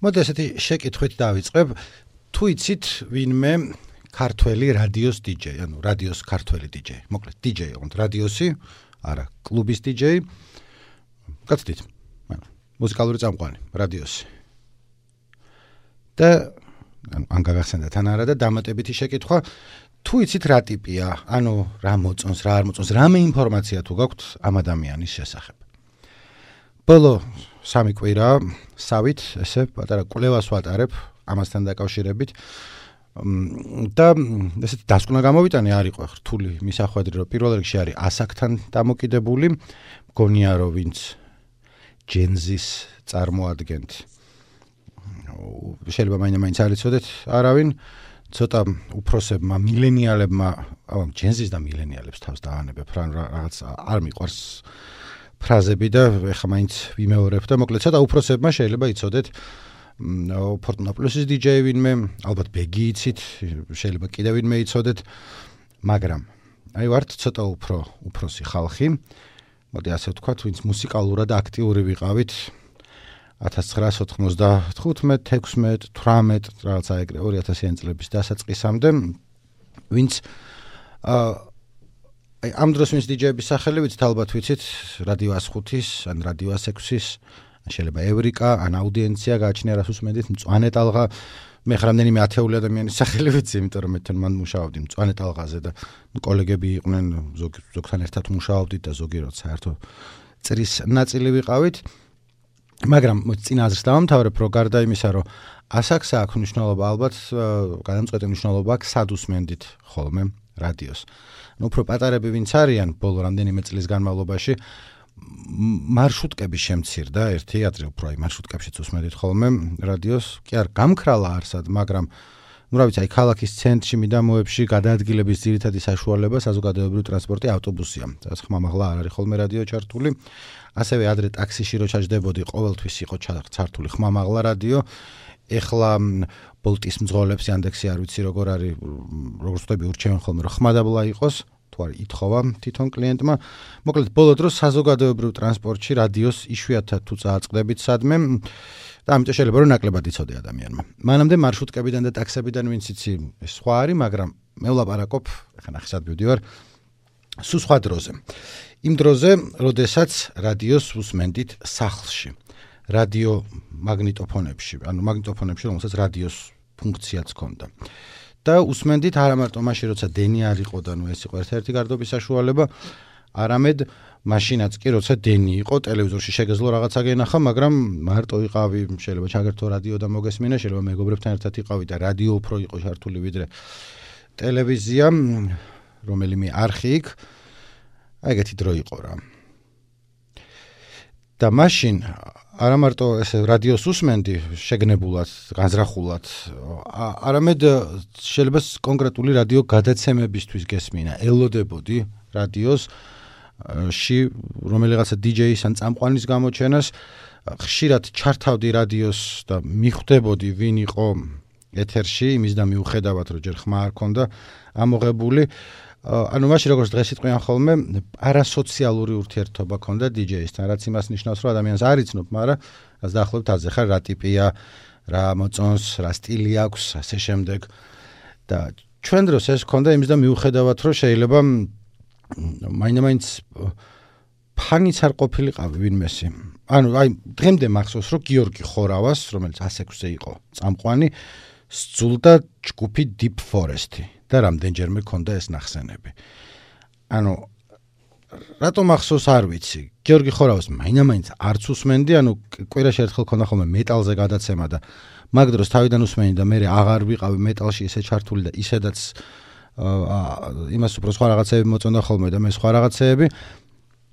მოდი ესეთი შეკითხვით დავიწყებ. თუ იცით ვინმე ქართველი რადიოს დიჯეი, ანუ რადიოს ქართველი დიჯეი. მოკლედ დიჯეი, ოღონდ რადიოსი, არა, კლუბის დიჯეი. გაცდით. მუსიკალური წამყვანი, რადიოსი. და ან გაგახსენდათ არა და დამატებითი შეკითხვა, თუ იცით რა ტიპია, ანუ რა მოწონს, რა არ მოწონს, რამე ინფორმაცია თუ გაქვთ ამ ადამიანის შესახებ. ბოლო 3 კვირა სავით ესე პატარა კვლევას ვატარებ ამასთან დაკავშირებით და ესეთი დასკვნა გამოვიტანე არ იყო რთული მისახვედრი რომ პირველ რიგში არის ასაკთან დამოკიდებული მგონია რომ ვინც ჯენზის წარმოადგენთ შეიძლება მაინც არ იცოდეთ არავინ ცოტა უფროსებმა მილენიალებმა ჯენზის და მილენიალებს თავს დაანებებ რა რაღაც არ მიყვარს ფრაზები და ეხლა მაინც ვიმეორებ და მოკლედ ცოტა უფროსებმა შეიძლება იცოდეთ Fortuna Plus-ის DJ ვინმე, ალბათ ბეგი იცით, შეიძლება კიდევ ვინმე იცოდეთ, მაგრამ აი ვართ ცოტა უფროსი ხალხი. მოდი ასე ვთქვათ, ვინც მუსიკალურად აქტიური ვიყავით 1995, 16, 18, რაღაცა ეგრე 2000-იან წლების დასაწყისამდე, ვინც ამ დროს ვინც DJ-ების სახელი ვიცით, ალბათ ვიცით, რადიო 105-ის, ან რადიო 106-ის შეიძლება ევრიკა, ან აუდიენცია გააჩნია რას უსმენდით, მწვანე ტალღა, მე რამდენიმე ათეული ადამიანის სახელი ვიცი, იმიტომ რომ მე თან მან მუშაობდი მწვანე ტალღაზე და კოლეგები იყვნენ, ზოგთან ერთად მუშაობდით და ზოგი როცა საერთო წრის ნაწილი ვიყავით. მაგრამ წინა აზრს დავამთავრებ, რომ გარდა იმისა, რომ ასაკს აქვს მნიშვნელობა, ალბათ გადამწყვეტი მნიშვნელობა აქვს, სად უსმენდით ხოლმე რადიოს. ანუ უფრო პატარები ვინც არიან, ბოლო რამდენიმე წლის განმავლობაში მარშრუტკები შემცირდა ერთი ადრე უფრო აი მარშრუტკებშიც უსმენდით ხოლმე რადიოს კი არ გამქრალა არსად მაგრამ ну რა ვიცი აი ქალაქის ცენტრში მიდამოებში გადაადგილების ძირითადი საშუალება საზოგადოებრივი ტრანსპორტი ავტობუსია სადაც ხმამაღლა არ არის ხოლმე რადიო ჩართული ასევე ადრე ტაქსიში რო ჩაჯდებოდი ყოველთვის იყო ჩართული ხმამაღლა რადიო ეხლა ბოლტის მძღოლებს Yandex-ი არ ვიცი როგორ არის როგორ ვთქვი ურჩევენ ხოლმე რომ ხმადაბლა იყოს თუ არ ითხოვა თვითონ კლიენტმა. მოკლედ ბოლო დროს საზოგადოებრივ ტრანსპორტში რადიოს იშვიათად თუ წააწყდებით სადმე და ამიტომ შეიძლება რომ ნაკლებად იცოდე ადამიანმა. მანამდე მარშრუტკებიდან და ტაქსებიდან ვინც იცი სხვა არის, მაგრამ მე ვლაპარაკობ, ახლა ნახე სად მივდივარ, სულ სხვა დროზე. იმ დროზე, როდესაც რადიოს უსმენდით სახლში. რადიო მაგნიტოფონებში, ანუ მაგნიტოფონებში, რომელსაც რადიოს ფუნქციაც ჰქონდა. და უსმენდით არა მარტო მაშინ როცა დენი არ იყო და ნუ ეს იყო ერთ-ერთი გარდობის საშუალება, არამედ მაშინაც კი როცა დენი იყო, ტელევიზორში შეგეძლო რაღაცა გენახა, მაგრამ მარტო იყავი, შეიძლება ჩაგერთო რადიო და მოგესმინა, შეიძლება მეგობრებთან ერთად იყავი და რადიო უფრო იყო ჩართული ვიდრე ტელევიზია, რომელიმე არხი იქ. აი ეგეთი დრო იყო რა. და მაშინ არა მარტო ესე რადიოს უსმენდი შეგნებულად, განზრახულად, არამედ შეიძლება კონკრეტული რადიო გადაცემებისთვის გესმინა, ელოდებოდი რადიოს ში რომელიღაცა DJ-ის ან წამყვანის გამოჩენას, ხშირად ჩართავდი რადიოს და მიხვდებოდი ვინ იყო ეთერში, იმის და მიუხედავად რომ ჯერ ხმა არ ქონდა ამოღებული ანუ მაშინ როგორც დღეს იტყვიან ხოლმე არასოციალური ურთიერთობა ქონდა DJ-ისთან, რაც იმას ნიშნავს, რომ ადამიანს არ იცნობ, მაგრამ რაც დაახლოებით ასე ხარ, რა ტიპია, რა მოწონს, რა სტილი აქვს, ასე შემდეგ. და ჩვენ დროს ეს ქონდა იმის და მიუხედავად, რომ შეიძლება მაინც ფანიც არ ყოფილიყავი ვინმესი. ანუ აი დღემდე მახსოვს, რომ გიორგი ხორავას, რომელიც 106-ზე იყო წამყვანი, სძულდა ჯგუფი Deep Forest-ი. და რამდენჯერმე ქონდა ეს ნახსენები. ანუ რატომ ახსოვს არ ვიცი. გიორგი ხორავას მაინც არც უსმენდი, ანუ კვირაში ერთხელ ქონდა ხოლმე მეტალზე გადაცემა და მაგ დროს თავიდან უსმენდი და მე აღარ ვიყავი მეტალში ისე ჩართული და ისედაც იმას უფრო სხვა რაღაცები მოწონდა ხოლმე და მე სხვა რაღაცეები.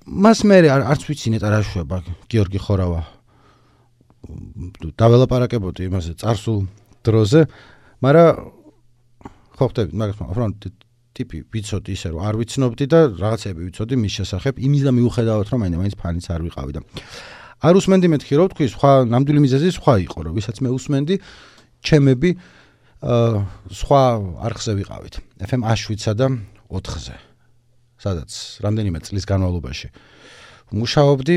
მას მე არც ვიცი ნეტა რა შვება გიორგი ხორავა. დაველაპარაკებოდი იმაზე წარსულ დროზე, მაგრამ ხო ხტები, მაგრამ ტიპი ვიცოდი ისე რომ არ ვიცნობდი და რაღაცები ვიცოდი მის შესახებ, იმის და მიუხედავად რომ მაინც ფანიც არ ვიყავი და არ უსმენდი მეთქი რომ თქვი სხვა ნამდვილი მიზეზი სხვა იყო რომ ვისაც მე უსმენდი ჩემები სხვა არხზე ვიყავით FM 7-სა და 4-ზე სადაც რამდენიმე წლის განმავლობაში მუშაობდი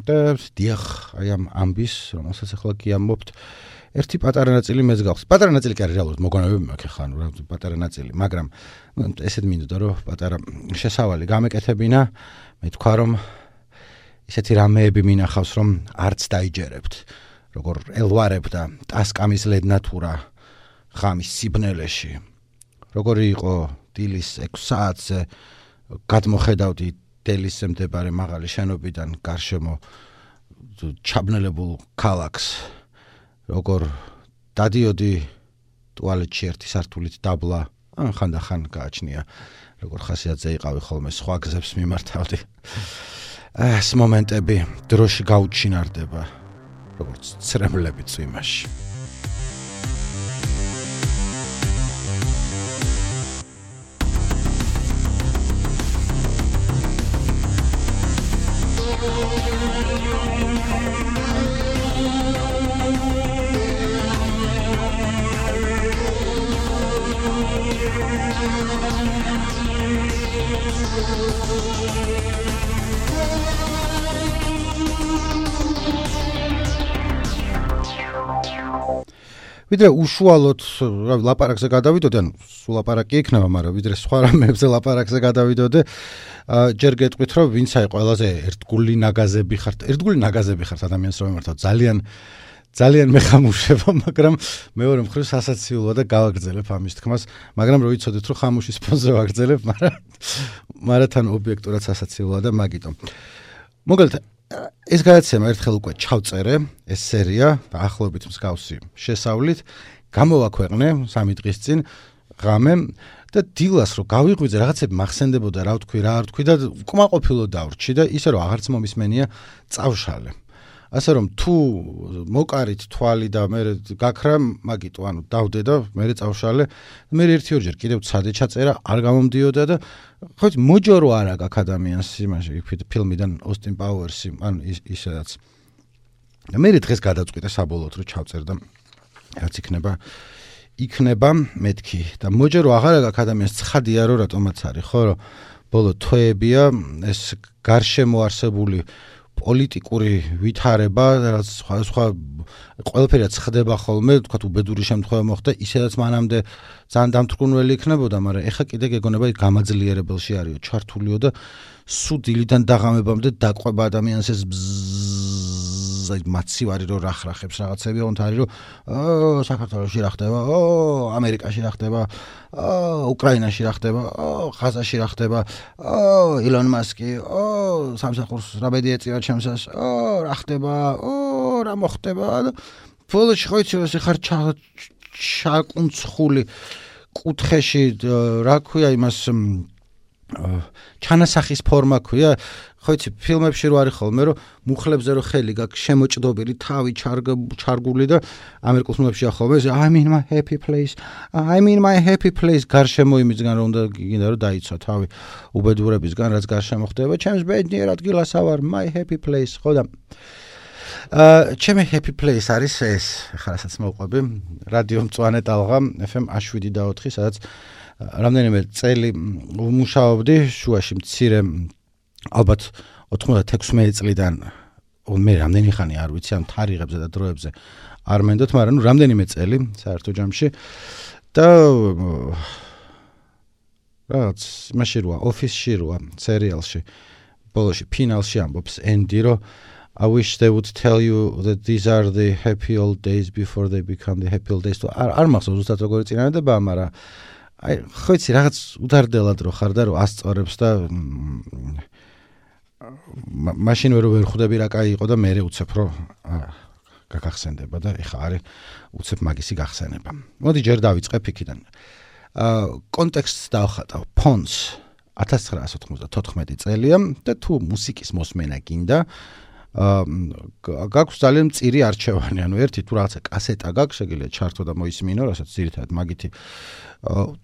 და დიახ, აი ამ ამბის, რომელსაც ახლა გიამბობთ, ერთი პატარა ნაწილი მეც გახსოვს. პატარა ნაწილი კი არის რეალურად მოგონებები მაქვს ხან, პატარა ნაწილი, მაგრამ ესეთ მინდოდა რომ პატარა შესავალი გამეკეთებინა, მე თქვა რომ ისეთი რამეები მინახავს რომ არც დაიჯერებთ, როგორ ელვარებდა ტასკამის ლედნათურა ღამის სიბნელეში. როგორი იყო დილის 6 საათზე გადმოხედავდი დელისზე მდებარე მაღალი შენობიდან გარშემო ჩაბნელებულ ქალაქს. როგორ დადიოდი ტუალეტში ერთი სართულით დაბლა, ხანდახან გააჩნია, როგორ ხასიათზე იყავი ხოლმე სხვა გზებს მიმართავდი. ეს მომენტები დროში გაუჩინარდება, როგორც ცრემლები წვიმაში. ვიდრე უშუალოდ ლაპარაკზე გადავიდოდი, ანუ სულ ლაპარაკი იქნება, მაგრამ ვიდრე სხვა რამებზე ლაპარაკზე გადავიდოდი, ჯერ გეტყვით, რომ ვინც აი ყველაზე ერთგული ნაგაზები ხართ ადამიანს რომ ემართავ, ძალიან მეხამუშება, მაგრამ მეორე მხრივ სასაციულოა და გავაგრძელებ ამის თქმას, მაგრამ რო იცოდეთ, რომ ხამუშის ფონზე ვაგრძელებ, მაგრამ თან ობიექტურად სასაციულოა და მაგიტომ. მოგალთ ეს გადაცემა ერთხელ უკვე ჩავწერე, ეს სერია და ახლობით მსგავსი შესავლით გამოვაქვეყნე 3 დღის წინ ღამე და დილას რო გავიღვიძე რაღაცები მახსენდებოდა რა ვთქვი, რა არ ვთქვი და უკმაყოფილო დავრჩი და ისე რომ აღარც მომისმენია წავშალე. ასე რომ თუ მოკარით თვალი და მე გაქრა მაგიტო, ანუ დავდე და მე წავშალე, მე 1-2 ჯერ კიდევ ცადე ჩაწერა, არ გამომდიოდა და ხო მოჯორო არა გაქვს ადამიანს იმაში ფილმიდან ოსტინ პაუერსი, ანუ ისედაც. და მე დღეს გადაწყვიტე საბოლოოდ რომ ჩავწერ და რაც იქნება მეთქი და მოჯორო აღარა გაქვს ადამიანს, ცხადია რომ რატომაც არის, ხო რომ ბოლო თვეებია ეს გარშემო არსებული პოლიტიკური ვითარება, რაც სხვა ყველაფერად ხდება ხოლმე, თქვათ უბედური შემთხვევა მოხდა, ისედაც მანამდე ძალიან დამთრგუნველი იქნებოდა, მაგრამ ეხა კიდე გეგონება გამაძლიერებელში არისო, ჩართულიო და სულ დილიდან დაღამებამდე დაყვება ადამიანს ეს აი მაცივარი რო რახრახებს რაღაცები, ოღონდ არის რომ საქართველოში რა ხდება, ამერიკაში რა ხდება, უკრაინაში რა ხდება, ხაზაში რა ხდება, ილონ მასკი, სამსახურს რა ბედი ეწევა ჩემსას, რა ხდება, რა მოხდება და ბოლოში ხო იცი ეს ხარ ჩაკუნცხული კუთხეში რა ქვია იმას ჩანასახის ფორმა ქვია, ხო იცი ფილმებში რო არის ხოლმე რომ მუხლებზე რო ხელი გაქვს შემოჭდობილი, თავი ჩარგული და ამერიკულ ფილმებში ახლა I'm in my happy place გარშემო იმისგან რომ გინდა რომ დაიცვა თავი უბედურებისგან რაც გარშემო ხდება, ჩემს ბედნიერ ადგილას ავარ, my happy place, ხო და ჩემი happy place არის ეს, ხა რასაც მოვყვები, რადიო მწვანე ტალღა FM 7.4, სადაც რამდენიმე წელი ვმუშაობდი, შუაში მცირე ალბათ 96 წლიდან მე რამდენი ხანი არ ვიცი ამ თარიღებზე და დროებზე არ მენდოთ, მაგრამ ნუ რამდენიმე წელი საერთო ჯამში და რაც იმაში როა ოფისში როა სერიალში ბოლოში ფინალში ამბობს ენდი რომ I wish they would tell you that these are the happy old days before they become the happy old days. არ მახსოვს ზუსტად როგორი წინადადება, მაგრამ აი ხო იცი რაღაც უდარდელად რო ხარ და რო ასწორებს და მაშინ ვერ ხვდები რა კაი იყო და მე უცებ რო გაგახსენდება და ეხა არის უცებ მაგისი გახსენება. მოდი ჯერ დავიწყებ იქიდან. კონტექსტს დავხატავ. Pons 1994 წელია და თუ მუსიკის მოსმენა გინდა გაქვს ძალიან მწირი არჩევანი, ანუ ერთი თუ რაღაცა კასეტა გაქვს, შეგიძლია ჩართო და მოისმინო, რასაც ძირითადად მაგითი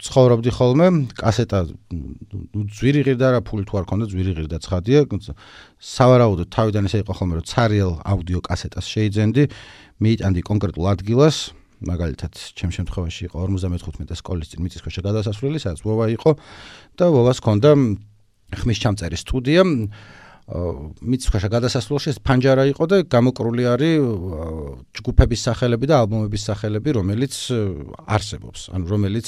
ცხოვრობდი ხოლმე, კასეტა ძვირი ღირდა რა ფული თუ არ ქონდა, ძვირი ღირდა ცხადია, სავარაუდოდ თავიდან ესე იყო ხოლმე, რომ ცარიელ აუდიო კასეტას შეიძენდი, მიიტანდი კონკრეტულ ადგილას, მაგალითად, ჩემ შემთხვევაში იყო 55 სკოლის წინ მიწისქვეშა გადასასვლელი, სადაც ვოვა იყო და ვოვას ქონდა ხმის ჩამწერი სტუდია. მიცხვეშა გადასასვლელში ეს ფანჯარა იყო და გამოკრული არის ჯგუფების სახელები და ალბომების სახელები, რომელიც არსებობს, ანუ რომელიც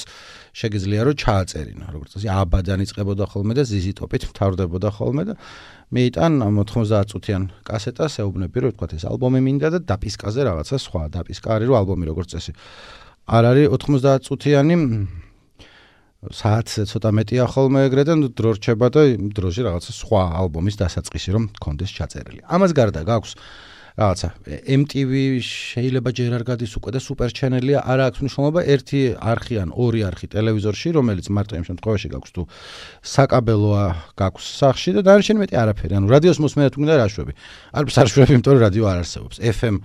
შეგიძლია რომ ჩააწერინა, როგორც ასე აბადან იწყებოდა ხოლმე და ზიზი ტოპით მთავრდებოდა ხოლმე და მეიტან 90 წუთიან კასეტას ეუბნები რომ თქვა ეს ალბომი მინდა და დაპისკაზე რაღაცა სხვა დაპისკა არის რომ ალბომი როგორც წესი არ არის 90 წუთიანი საათზე ცოტა მეტია ხოლმე ეგრე და დრო რჩება და იმ დროში რაღაცა სხვა ალბომის დასაწყისი რომ კონდეს ჩაწერილი. ამას გარდა გაქვს რაღაცა MTV შეიძლება ჯერ არ გადის უკვე და სუპერ ჩენელია, არა აქვს მნიშვნელობა ერთი არხი ან ორი არხი ტელევიზორში, რომელიც მარტო იმ შემთხვევაში გაქვს თუ საკაბელოა გაქვს სახში და დანარჩენი მეტი არაფერი. ანუ რადიოს მოსმენად უნდა რა შვები. არც არ შვები, იმიტომ რომ რადიო არ არსებობს. FM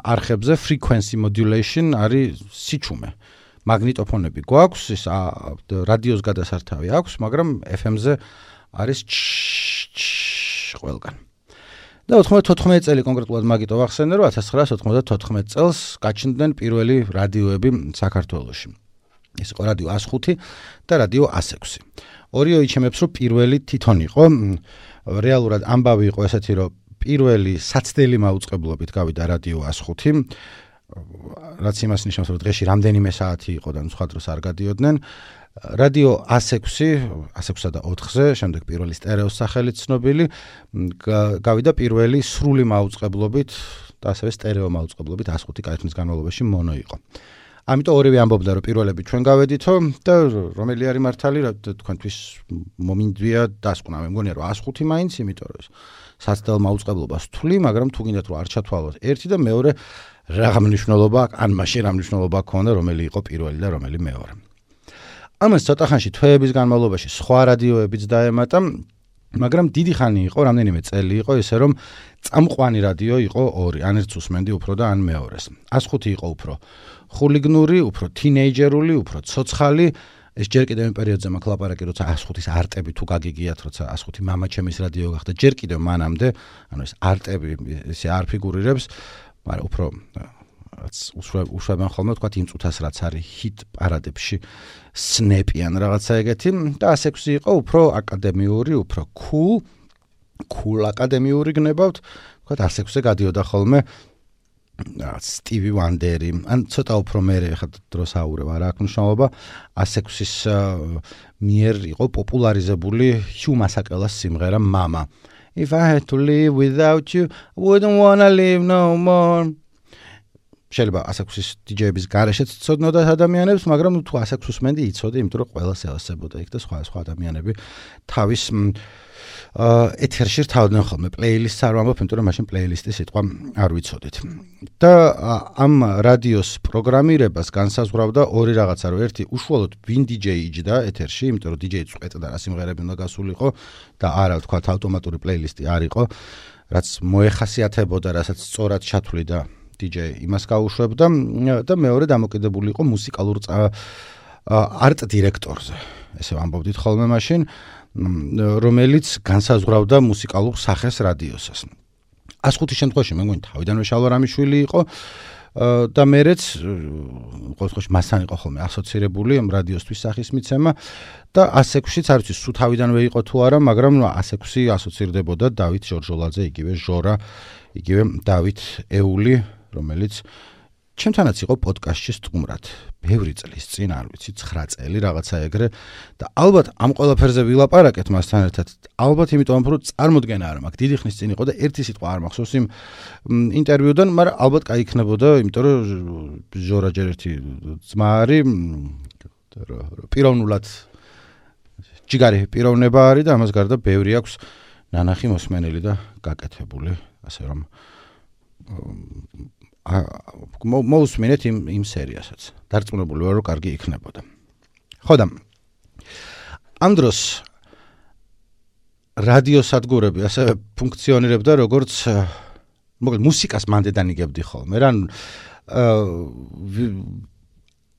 არხებზე frequency modulation არის სიჩუმე. მაგნიტოფონები გვაქვს, ის რადიოს გადასართავი აქვს, მაგრამ FM-ზე არის ყველგან. და 94 წელი კონკრეტულად მაგიტო ვახსენე, რომ 1994 წელს გაჩნდნენ პირველი რადიოები საქართველოში. ეს იყო რადიო 105 და რადიო 106. ორიო იჩემებს, რომ პირველი თვითონ იყო, რეალურად ამბავი იყო ესეთი, რომ პირველი საცდელი მაუწყებლობით გავიდა რადიო 105, რაც იმას ნიშნავს, რომ დღეში რამდენიმე საათი იყო და სხვა დროს არ გადიოდნენ. რადიო 106-სა და 4-ზე, შემდეგ პირველი სტერეოს სახელით ცნობილი, გავიდა პირველი სრული მაუწყებლობით და ასევე სტერეო მაუწყებლობით 105 კაითნის განმავლობაში მონო იყო. ამიტომ ორივე ამბობდა, რომ პირველები ჩვენ გავედითო და რომელი არის მართალი, თქვენთვის მომინდვია დასკვნა. მე მგონია, რომ 105 მაინც, იმიტომ რომ საცდელ მაუწყებლობას თვლი, მაგრამ თუ გინდათ რომ არ ჩათვალოთ ერთი და მეორე რა მნიშვნელობა აქვს, ან მაშინ რა მნიშვნელობა ჰქონდა, რომელი იყო პირველი და რომელი მეორე. ამას ცოტა ხანში თვეების განმავლობაში სხვა რადიოებიც დაემატა, მაგრამ დიდი ხანი იყო, რამდენიმე წელი იყო ისე რომ წამყვანი რადიო იყო ორი, ან ერთს უსმენდი უფრო და ან მეორეს. 105 იყო უფრო ხულიგნური, უფრო თინეიჯერული, უფრო ცოცხალი. ეს ჯერ კიდევ იმ პერიოდზე მაქვს ლაპარაკი, როცა 105-ის არტები თუ გაგიგიათ, როცა 105 მამაჩემის რადიო გახდა, ჯერ კიდევ მანამდე, ანუ ეს არტები ისე არ ფიგურირებს, მაგრამ უფრო უშვებენ ხოლმე თქვათ იმ წუთას რაც არის ჰიტ პარადებში სნეპიან რაღაცა ეგეთი და 106 იყო უფრო აკადემიური, უფრო cool აკადემიური გნებავთ, თქვათ 106-ზე გადიოდა ხოლმე სტივი ვანდერი, ან ცოტა უფრო მერე ხა დროს აურევ, არა აქვს მნიშვნელობა, 106-ის მიერ იყო პოპულარიზებული ჰიუ მასაკელას სიმღერა Mama. If I had to live without you, I wouldn't wanna live no more. შეიძლება 106-ის DJ-ების გარეშეც ცოდნოდათ ადამიანებს, მაგრამ თუ 106-ს მენდი იცოდი, იმიტომ რომ ყველას ელასებოდა იქ და სხვა ადამიანები თავის ეთერში რთავდნენ ხოლმე პლეილისტს არ ვამბობ, იმიტომ რომ მაშინ პლეილისტის სიტყვა არ ვიცოდით. და ამ რადიოს პროგრამირებას განსაზღვრავდა ორი რაღაცა, რომ ერთი უშუალოდ ვინ DJ იჯდა ეთერში, იმიტომ რომ DJ წვეტდა რა სიმღერები უნდა გასულიყო და არა ვთქვათ ავტომატური პლეილისტი არ იყო, რაც მოეხასიათებოდა, რასაც სწორად ჩათვლი და DJ იმას გაუშვებდა და მეორე დამოკიდებული იყო მუსიკალურ არტ დირექტორზე. ესე ვამბობდით ხოლმე მაშინ, რომელიც განსაზღვრავდა მუსიკალურ სახეს რადიოსას. 105-ის შემთხვევაში მე მგონი თავიდანვე შალვა რამიშვილი იყო და მერეც ყოველ შემთხვევაში მასთან იყო ხოლმე ასოცირებული ამ რადიოსთვის სახის მიცემა და 106-იც არ ვიცი სულ თავიდანვე იყო თუ არა, მაგრამ 106 ასოცირდებოდა დავით ჟორჟოლაძე, იგივე ჟორა, იგივე დავით ეული, რომელიც ჩემთანაც იყო პოდკასტში სტუმრად. ბევრი წლის წინ, არ ვიცი, 9 წელი რაღაცა ეგრე და ალბათ ამ ყველაფერზე ვილაპარაკეთ მასთან ერთად. ალბათ იმიტომ რომ წარმოდგენა არ მაქვს. დიდი ხნის წინ იყო და ერთი სიტყვა არ მახსოვს იმ ინტერვიუდან, მაგრამ ალბათ кайიქნებოდა, იმიტომ რომ ჟორა ჯერ ერთი ძმა არის, პიროვნულად ჯიგარი პიროვნება არის და ამას გარდა ბევრი აქვს ნანახი მოსმენელი და გაკეთებული, ასე რომ მოусმინეთ იმ სერიასაც. დარწმუნებული ვარ, რომ კარგი იქნებოდა. ხო და ამ დროს რადიოსადგურები ასევე ფუნქციონირებდა როგორც მოკლედ მუსიკას მანდედან იგებდი ხოლმე. რა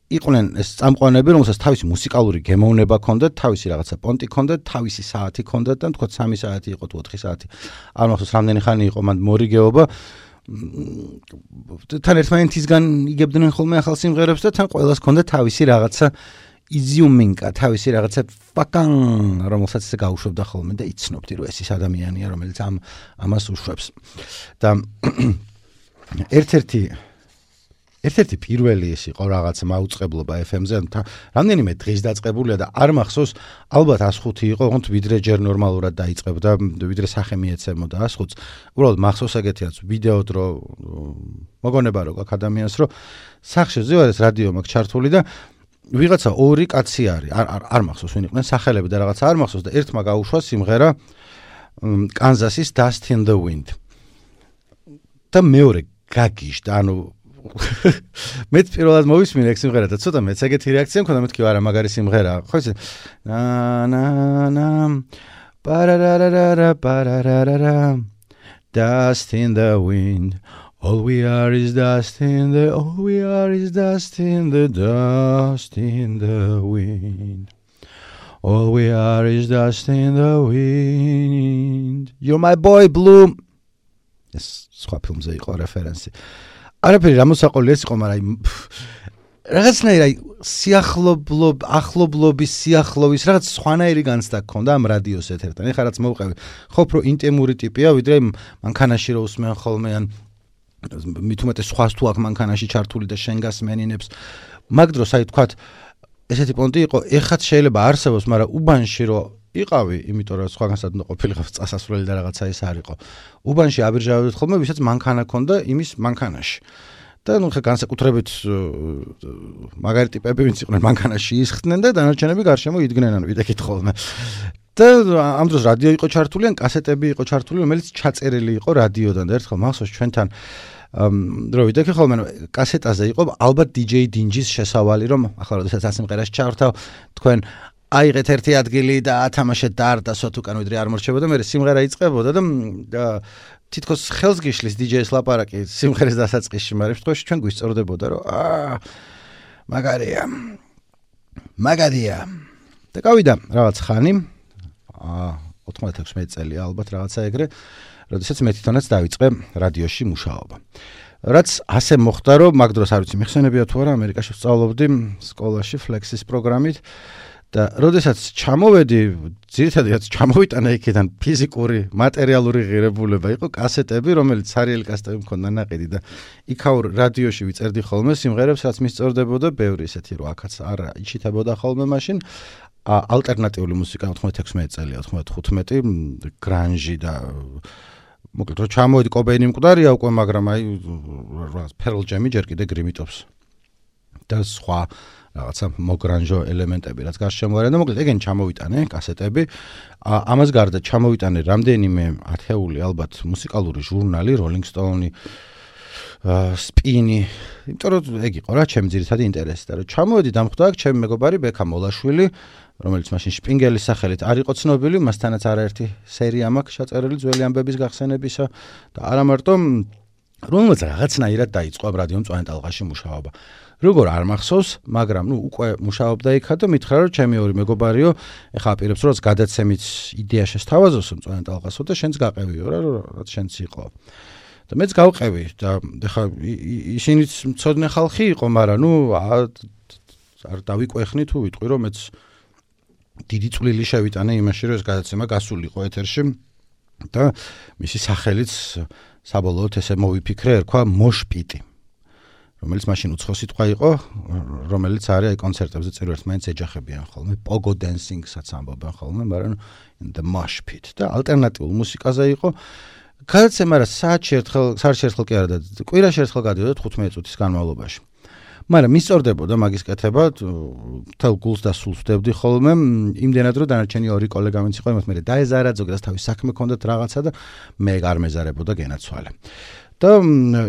იყვნენ ეს წამყვანები, რომელსაც თავისი მუსიკალური გემოვნება ჰქონდათ, თავისი რაღაცა პონტი ჰქონდათ, თავისი საათი ჰქონდათ და თქო 3 საათი იყო თუ 4 საათი. არ მახსოვს რამდენი ხანი იყო მანდ მორიგეობა. თან ერთმანეთისგან იგებდნენ ხოლმე ახალ სიმღერებს და თან ყველას ჰქონდა თავისი რაღაცა იზიუმინკა თავისი რაღაცა ფაკან რომელსაც გაუშვებდა ხოლმე და იცნობდი რომ ეს ის ადამიანია რომელიც ამას უშვებს და ერთ-ერთი პირველი ის იყო რაღაც მაუწყებლობა FM-ზე რამდენიმე დღის დაწყებულია და არ მახსოვს ალბათ 105 იყო ოღონდ ვიდრე ჯერ ნორმალურად დაიწყებდა ვიდრე სახე მიეცემოდა 105-ს უბრალოდ მახსოვს ეგეთიაც ვიდეოდ რომ მოგონება რო გაქვს ადამიანს რომ სახში ზევარეს რადიო მაქვს ჩართული და ვიღაცა ორი კაცი არის არ მახსოვს ვინ იყვნენ სახელები და რაღაცა არ მახსოვს და ერთმა გაუშვა სიმღერა კანზასის Dust in the Wind და მეორე გაგიჟდა ანუ მეც პირველად მოვისმინე ეგ სიმღერა და ცოტა მეც ეგეთი რეაქცია მქონდა მეთქი არა მაგარი სიმღერაა ხო ისე na pararara pararara dust in the wind all we are is dust in the dust in the wind all we are is dust in the wind you're my boy blue ეს სხვა ფილმზე იყო რეფერენსი არაფერი რამოსაყოლი ეს იყო მაგრამ რაღაცნაირი ახლობლობის სიახლოვის რაღაც სხვანაირი განცდა გქონდა ამ რადიოს ეთერთან ეხლა რაც მოვყევი ხო უფრო ინტიმური ტიპია ვიდრე მანქანაში რო უსმენ ხოლმე ან მით უმეტეს სხვას თუ აქ მანქანაში ჩართული და შენ გასმენინებს მაგ დროს აი თქვათ ესეთი პონტი იყო ეხაც შეიძლება არსებობს მაგრამ უბანში რო იყავი იმიტომ რომ სხვაგანსად უნდა ყოფილიყავ წასასვლელი და რაღაცა ის არ იყო უბანში აბირჟავებდით ხოლმე ვისაც მანქანა ქონდა იმის მანქანაში და ნუ ხე განსაკუთრებით მაგარი ტიპები ვინც იყვნენ მანქანაში ისხდნენ და დანარჩენები გარშემო იდგნენ ანუ ვიდექით ხოლმე და ამ დროს რადიო იყო ჩართული ან კასეტები იყო ჩართული რომელიც ჩაწერილი იყო რადიოდან და ერთხელ მახსოვს ჩვენთან რო ვიდექი ხოლმე კასეტაზე იყო ალბათ DJ დინჯის შესავალი რომ ახლა როდესაც ასიმღერას ჩავრთავ თქვენ აიღეთ ერთი ადგილი და ათამაშეთ დაარდასოთ უკან ვიდრე არ მორჩებოდა მე სიმღერა იწყებოდა და თითქოს ხელს გიშლის DJ-ს ლაპარაკი სიმღერის დასაწყისში მაგრამ შემთხვევაში ჩვენ გვისწორდებოდა რომ მაგარია და გავიდა რაღაც ხანი 96 წელი ალბათ რაღაცა ეგრე როდესაც მე თვითონაც დავიწყე რადიოში მუშაობა რაც ასე მოხდა რომ მაგ დროს არ ვიცი მიხსენებია თუ არა ამერიკაში ვსწავლობდი სკოლაში ფლექსის პროგრამით და როდესაც ჩამოვედი ძირითადად ჩამოვიტანა იქიდან ფიზიკური მატერიალური ღირებულება იყო კასეტები რომელიც სერიალი კასეტები მქონდა ნაყიდი და იქაურ რადიოში ვიწერდი ხოლმე სიმღერებს რაც მისწორდებოდა ბევრი ისეთი რომ აქაც არ იჩითებოდა ხოლმე მაშინ ალტერნატიული მუსიკა 96 წელია 95 გრანჟი და მოკლედ რომ ჩამოვედი კობეინი მკვდარია უკვე მაგრამ აი Pearl Jam-ი ჯერ კიდე გრიმიტობს და სხვა რაღაცა მოგრანჟო ელემენტები რაც გარშემო არიან და მოკლედ ეგენ ჩამოვიტანე კასეტები ამას გარდა ჩამოვიტანე რამდენიმე ათეული ალბათ მუსიკალური ჟურნალი Rolling Stone სპინი იმიტომ რომ ეგ იყო რა ჩემი ძირითადი ინტერესი და რომ ჩამოვედი დამხვდა აქ ჩემი მეგობარი ბექა მოლაშვილი რომელიც მაშინ შპინგელის სახელით არ იყო ცნობილი მასთანაც არაერთი სერია მაქვს ჩაწერილი ძველი ამბების გახსენებისა და არა მარტო რომელმაც რაღაცნაირად დაიწყო ამ რადიო მწვანე ტალღაში მუშაობა როგორ არ მახსოვს მაგრამ ნუ უკვე მუშაობდა იქა და მითხრა რომ ჩემი ორი მეგობარიო ეხა აპირებს რომ გადაცემით იდეა შესთავაზოს მწვანე ტალღასო და შენც გაყევიო რა რაც შენც იყო და მეც გავყევი და ეხა ისინიც მწოდნე ხალხი იყო მაგრამ ნუ არ დავიკვეხნი თუ ვიტყვი რომ მეც დიდი წვლილი შევიტანე იმაში რომ ეს გადაცემა გასულიყო ეთერში და მისი სახელიც საბოლოოდ ესე მოვიფიქრე ერქვა მოშპიტი რომელიც მაშინ უცხო სიტყვა იყო რომელიც არის აი კონცერტებზე წირვერთ მაინც ეჯახებიან ხოლმე pogo dancing-საც ამბობენ ხოლმე მაგრამ the mosh pit და ალტერნატიულ მუსიკაზე იყო გადაცემა რა საათში ერთხელ კი არა და კვირაში ერთხელ გადიოდა 15 წუთის განმავლობაში მაგრამ მისწორდებოდა მაგის კეთება თელ გულს და სულს ვდებდი ხოლმე იმდენად რომ დანარჩენი ორი კოლეგა ვინც იყო იმათ მე დაეზარა ზოგადად თავის საქმე ჰქონდათ რაღაცა და მე არ მეზარებოდა გენაცვალე და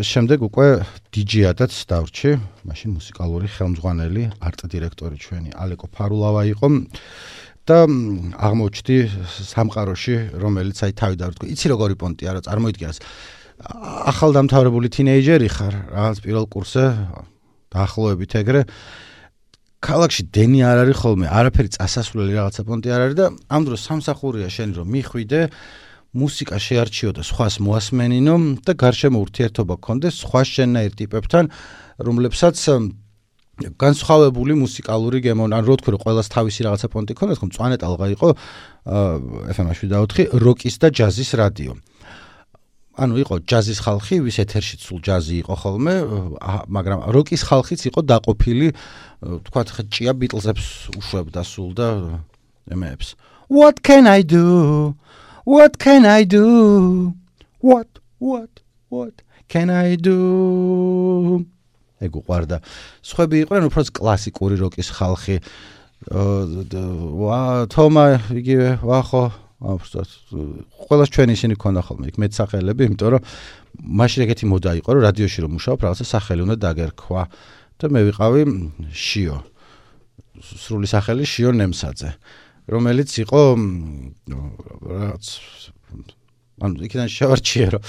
შემდეგ უკვე DJ-ადაც დავრჩი მაშინ მუსიკალური ხელმძღვანელი არტ დირექტორი ჩვენი ალეკო ფარულავა იყო და აღმოჩნდი სამყაროში რომელიც აი თავი დავრთქვი იცი როგორი პონტია რა წარმოიდგინეს ახალდამთავრებული თინეიჯერი ხარ რაღაც პირველ კურსზე დაახლოებით ეგრე ქალაქში დენი არ არის ხოლმე არაფერი წასასვლელი რაღაცა პონტი არ არის და ამ დროს სამსახურია შენი რომ მიხვიდე მუსიკა შეარჩიო და სხვას მოასმენინო და გარშემო ურთიერთობა გქონდეს სხვა შენნაირ ტიპებთან რომლებსაც განსხვავებული მუსიკალური გემონა, ან რო თქვი რომ ყველას თავისი რაღაცა პონტი ქონდა, თქო მწვანე ტალღა იყო FM 7.4 როკის და ჯაზის რადიო. ანუ იყო ჯაზის ხალხი, ვის ეთერში სულ ჯაზი იყო ხოლმე, მაგრამ როკის ხალხიც იყო დაყოფილი, თქვათ ჭია ბიტლზებს უშვებდა სულ და ემეებს. What can I do? What can I do? What can I do? ეგ უყვარდა. სხვები იყვნენ უფრო კლასიკური როკის ხალხი. თომა იგივე ვახო ყველას ჩვენ ისინი ქონდა ხოლმე იქ მეცახელები, იმიტომ რომ მაშინ ეგეთი მოდა იყო, რომ რადიოში რომ მუშაობ, რაღაცა სახელი უნდა დაგერქვა და მე ვიყავი შიო. სრული სახელი შიო ნემსაძე, რომელიც იყო რაღაც ანუ იქიდან შევარჩიე, რომ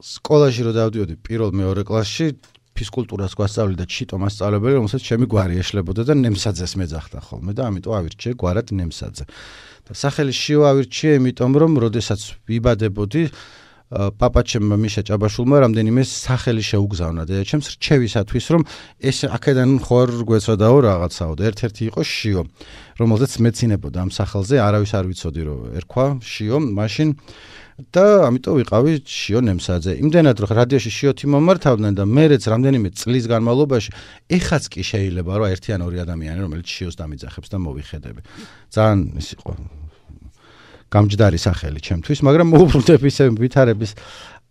სკოლაში რომ დავდიოდი პირველ მეორე კლასში ფიზკულტურას გვასწავლიდა ჩიტო მასწავლებელი, რომელსაც ჩემი გვარი ეშლებოდა და ნემსაძეს მეძახდა ხოლმე და ამიტომ ავირჩიე გვარად ნემსაძე. და სახელი შიო ავირჩიე, იმიტომ რომ როდესაც ვიბადებოდი, პაპაჩემ მიშა ჭაბაშულმა რამდენიმე სახელი შეუგზავნა დედაჩემს რჩევისათვის, რომ ეს აქედან ხوار გვეცოდაო რაღაცაო და ერთ-ერთი იყო შიო, რომელზეც მეცინებოდა ამ სახელზე, არავის არ ვიცოდი რომ ერქვა შიო, მაშინ და ამიტომ ვიყავი შიო ნემსაძე. იმდენად რომ რადიოში შიოთი მომართავდნენ და მეც რამდენიმე წლის განმავლობაში ეხაც კი შეიძლება რომ ერთი ან ორი ადამიანი რომელიც შიოს დამიძახებს და მოვიხედები. ძალიან ის იყო გამჯდარი სახელი ჩემთვის, მაგრამ მოუბრუნდები ისე ვითარების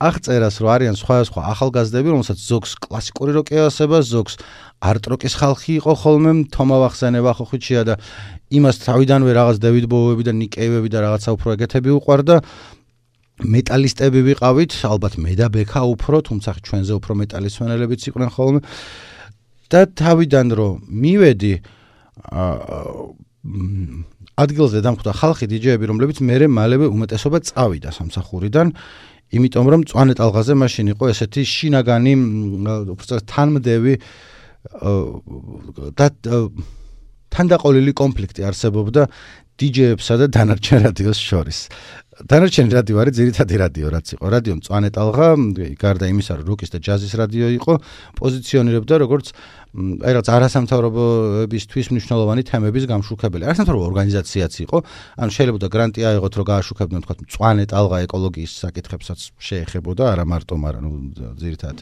აღწერას, რომ არიან სხვა ახალგაზრდები, რომელსაც ზოგს კლასიკური როკი ასება, ზოგს არტ როკის ხალხი იყო ხოლმე, თომა ვახსენე ვახოხიჩია და იმას თავიდანვე რაღაც დევიდ ბოუები და ნიკ კეივები და რაღაცა უფრო ეგეთები უყვარდა. მეტალისტები ვიყავით, ალბათ მე და ბექა უფრო, თუმცა ჩვენზე უფრო მეტალისტვენელებიც იყვნენ ხოლმე. და თავიდან რომ მივედი ადგილზე დამხვდა ხალხი დიჯეები, რომლებიც მერე მალევე უმეტესობა წავიდა სამსახურიდან, იმიტომ რომ მწვანე ტალღაზე მაშინ იყო ესეთი შინაგანი უბრალოდ თანმდევი და თანდაყოლილი კონფლიქტი არსებობდა დიჯეებსა და დანარჩენ რადიოს შორის. დანარჩენი რადიო არის ძირითადი რადიო, რაც იყო. რადიო მწვანე ტალღა, გარდა იმისა, რომ როკის და ჯაზის რადიო იყო, პოზიციონირებდა როგორც აი რაღაც არასამთავრობოებისთვის მნიშვნელოვანი თემების გამშუქებელი. არასამთავრობო ორგანიზაციაც იყო, ანუ შეიძლება გრანტი აიღოთ, რომ გააშუქებდნენ თქვა მწვანე ტალღა ეკოლოგიის საკითხებსაც შეეხებოდა, არა მარტო, მაგრამ ძირითადად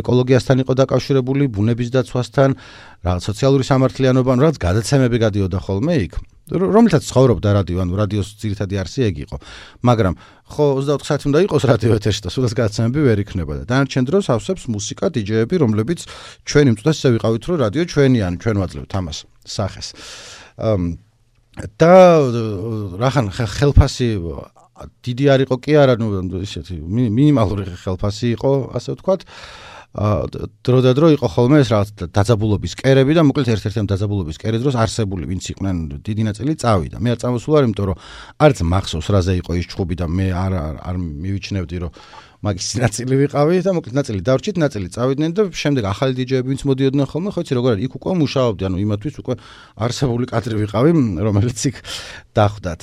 ეკოლოგიასთან იყო დაკავშირებული, ბუნების დაცვასთან, რაღაც სოციალური სამართლიანობა, რაღაც გადაცემები გადიოდა ხოლმე იქ. რომელთაც ცხოვრობდა რადიო, ანუ რადიოს ძირითადი არსი ეგ იყო. მაგრამ ხო 24 საათი უნდა იყოს რადიო ეთერში და სულაც გადაცემები ვერ იქნება და დანარჩენ დროს ავსებს მუსიკა დიჯეები, რომლებიც ჩვენი მწვდეს ისე ვიყავით, რომ რადიო ჩვენია, ანუ ჩვენ ვაძლევთ ამას სახეს. და რახან ხელფასი დიდი არ იყო კი არა, ნუ ისეთი მინიმალური ხელფასი იყო, ასე ვთქვათ. დრო და დრო იყო ხოლმე ეს რაღაც დაძაბულობის კერები და მოკლედ ერთ-ერთი ამ დაძაბულობის კერის დროს არსებული ვინც იყვნენ დიდი ნაწილი წავიდა. მე არ წამოსულა, იმიტომ რომ არც მახსოვს რაზე იყო ის ჩხუბი და მე არ მივიჩნევდი რომ მაგის ნაწილი ვიყავი და მოკლედ ნაწილი დავრჩით, ნაწილი წავიდნენ და შემდეგ ახალი დიჯეები ვინც მოდიოდნენ ხოლმე, ხო იცი როგორ არის, იქ უკვე მუშაობდი, ანუ იმათთვის უკვე არსებული კადრი ვიყავი, რომელიც იქ დახვდათ.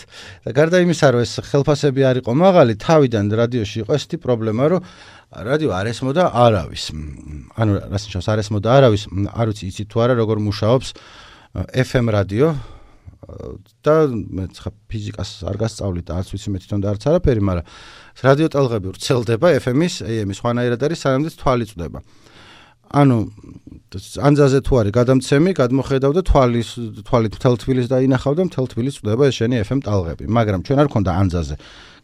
და გარდა იმისა, რომ ეს ხელფასები არ იყო მაღალი, თავიდან რადიოში იყო ესეთი პრობლემა, რომ რადიო არ ესმოდა არავის. ანუ რას ნიშნავს არ ესმოდა არავის? არ ვიცი იცით თუ არა როგორ მუშაობს FM რადიო და მე ხა ფიზიკას არ გასწავლით და არც ვიცი მე თვითონ და არც არაფერი, მაგრამ რადიო ტალღები ვრცელდება FM-ის, AM-ის ხვანაირად არის, სანამდე თვალი წვდება. ანუ ანძაზე თუ არის გადამცემი, გადმოხედავ და თვალით მთელ თბილისს დაინახავ და მთელ თბილისს წვდება ეს შენი FM ტალღები. მაგრამ ჩვენ არ ქონდა ანძაზე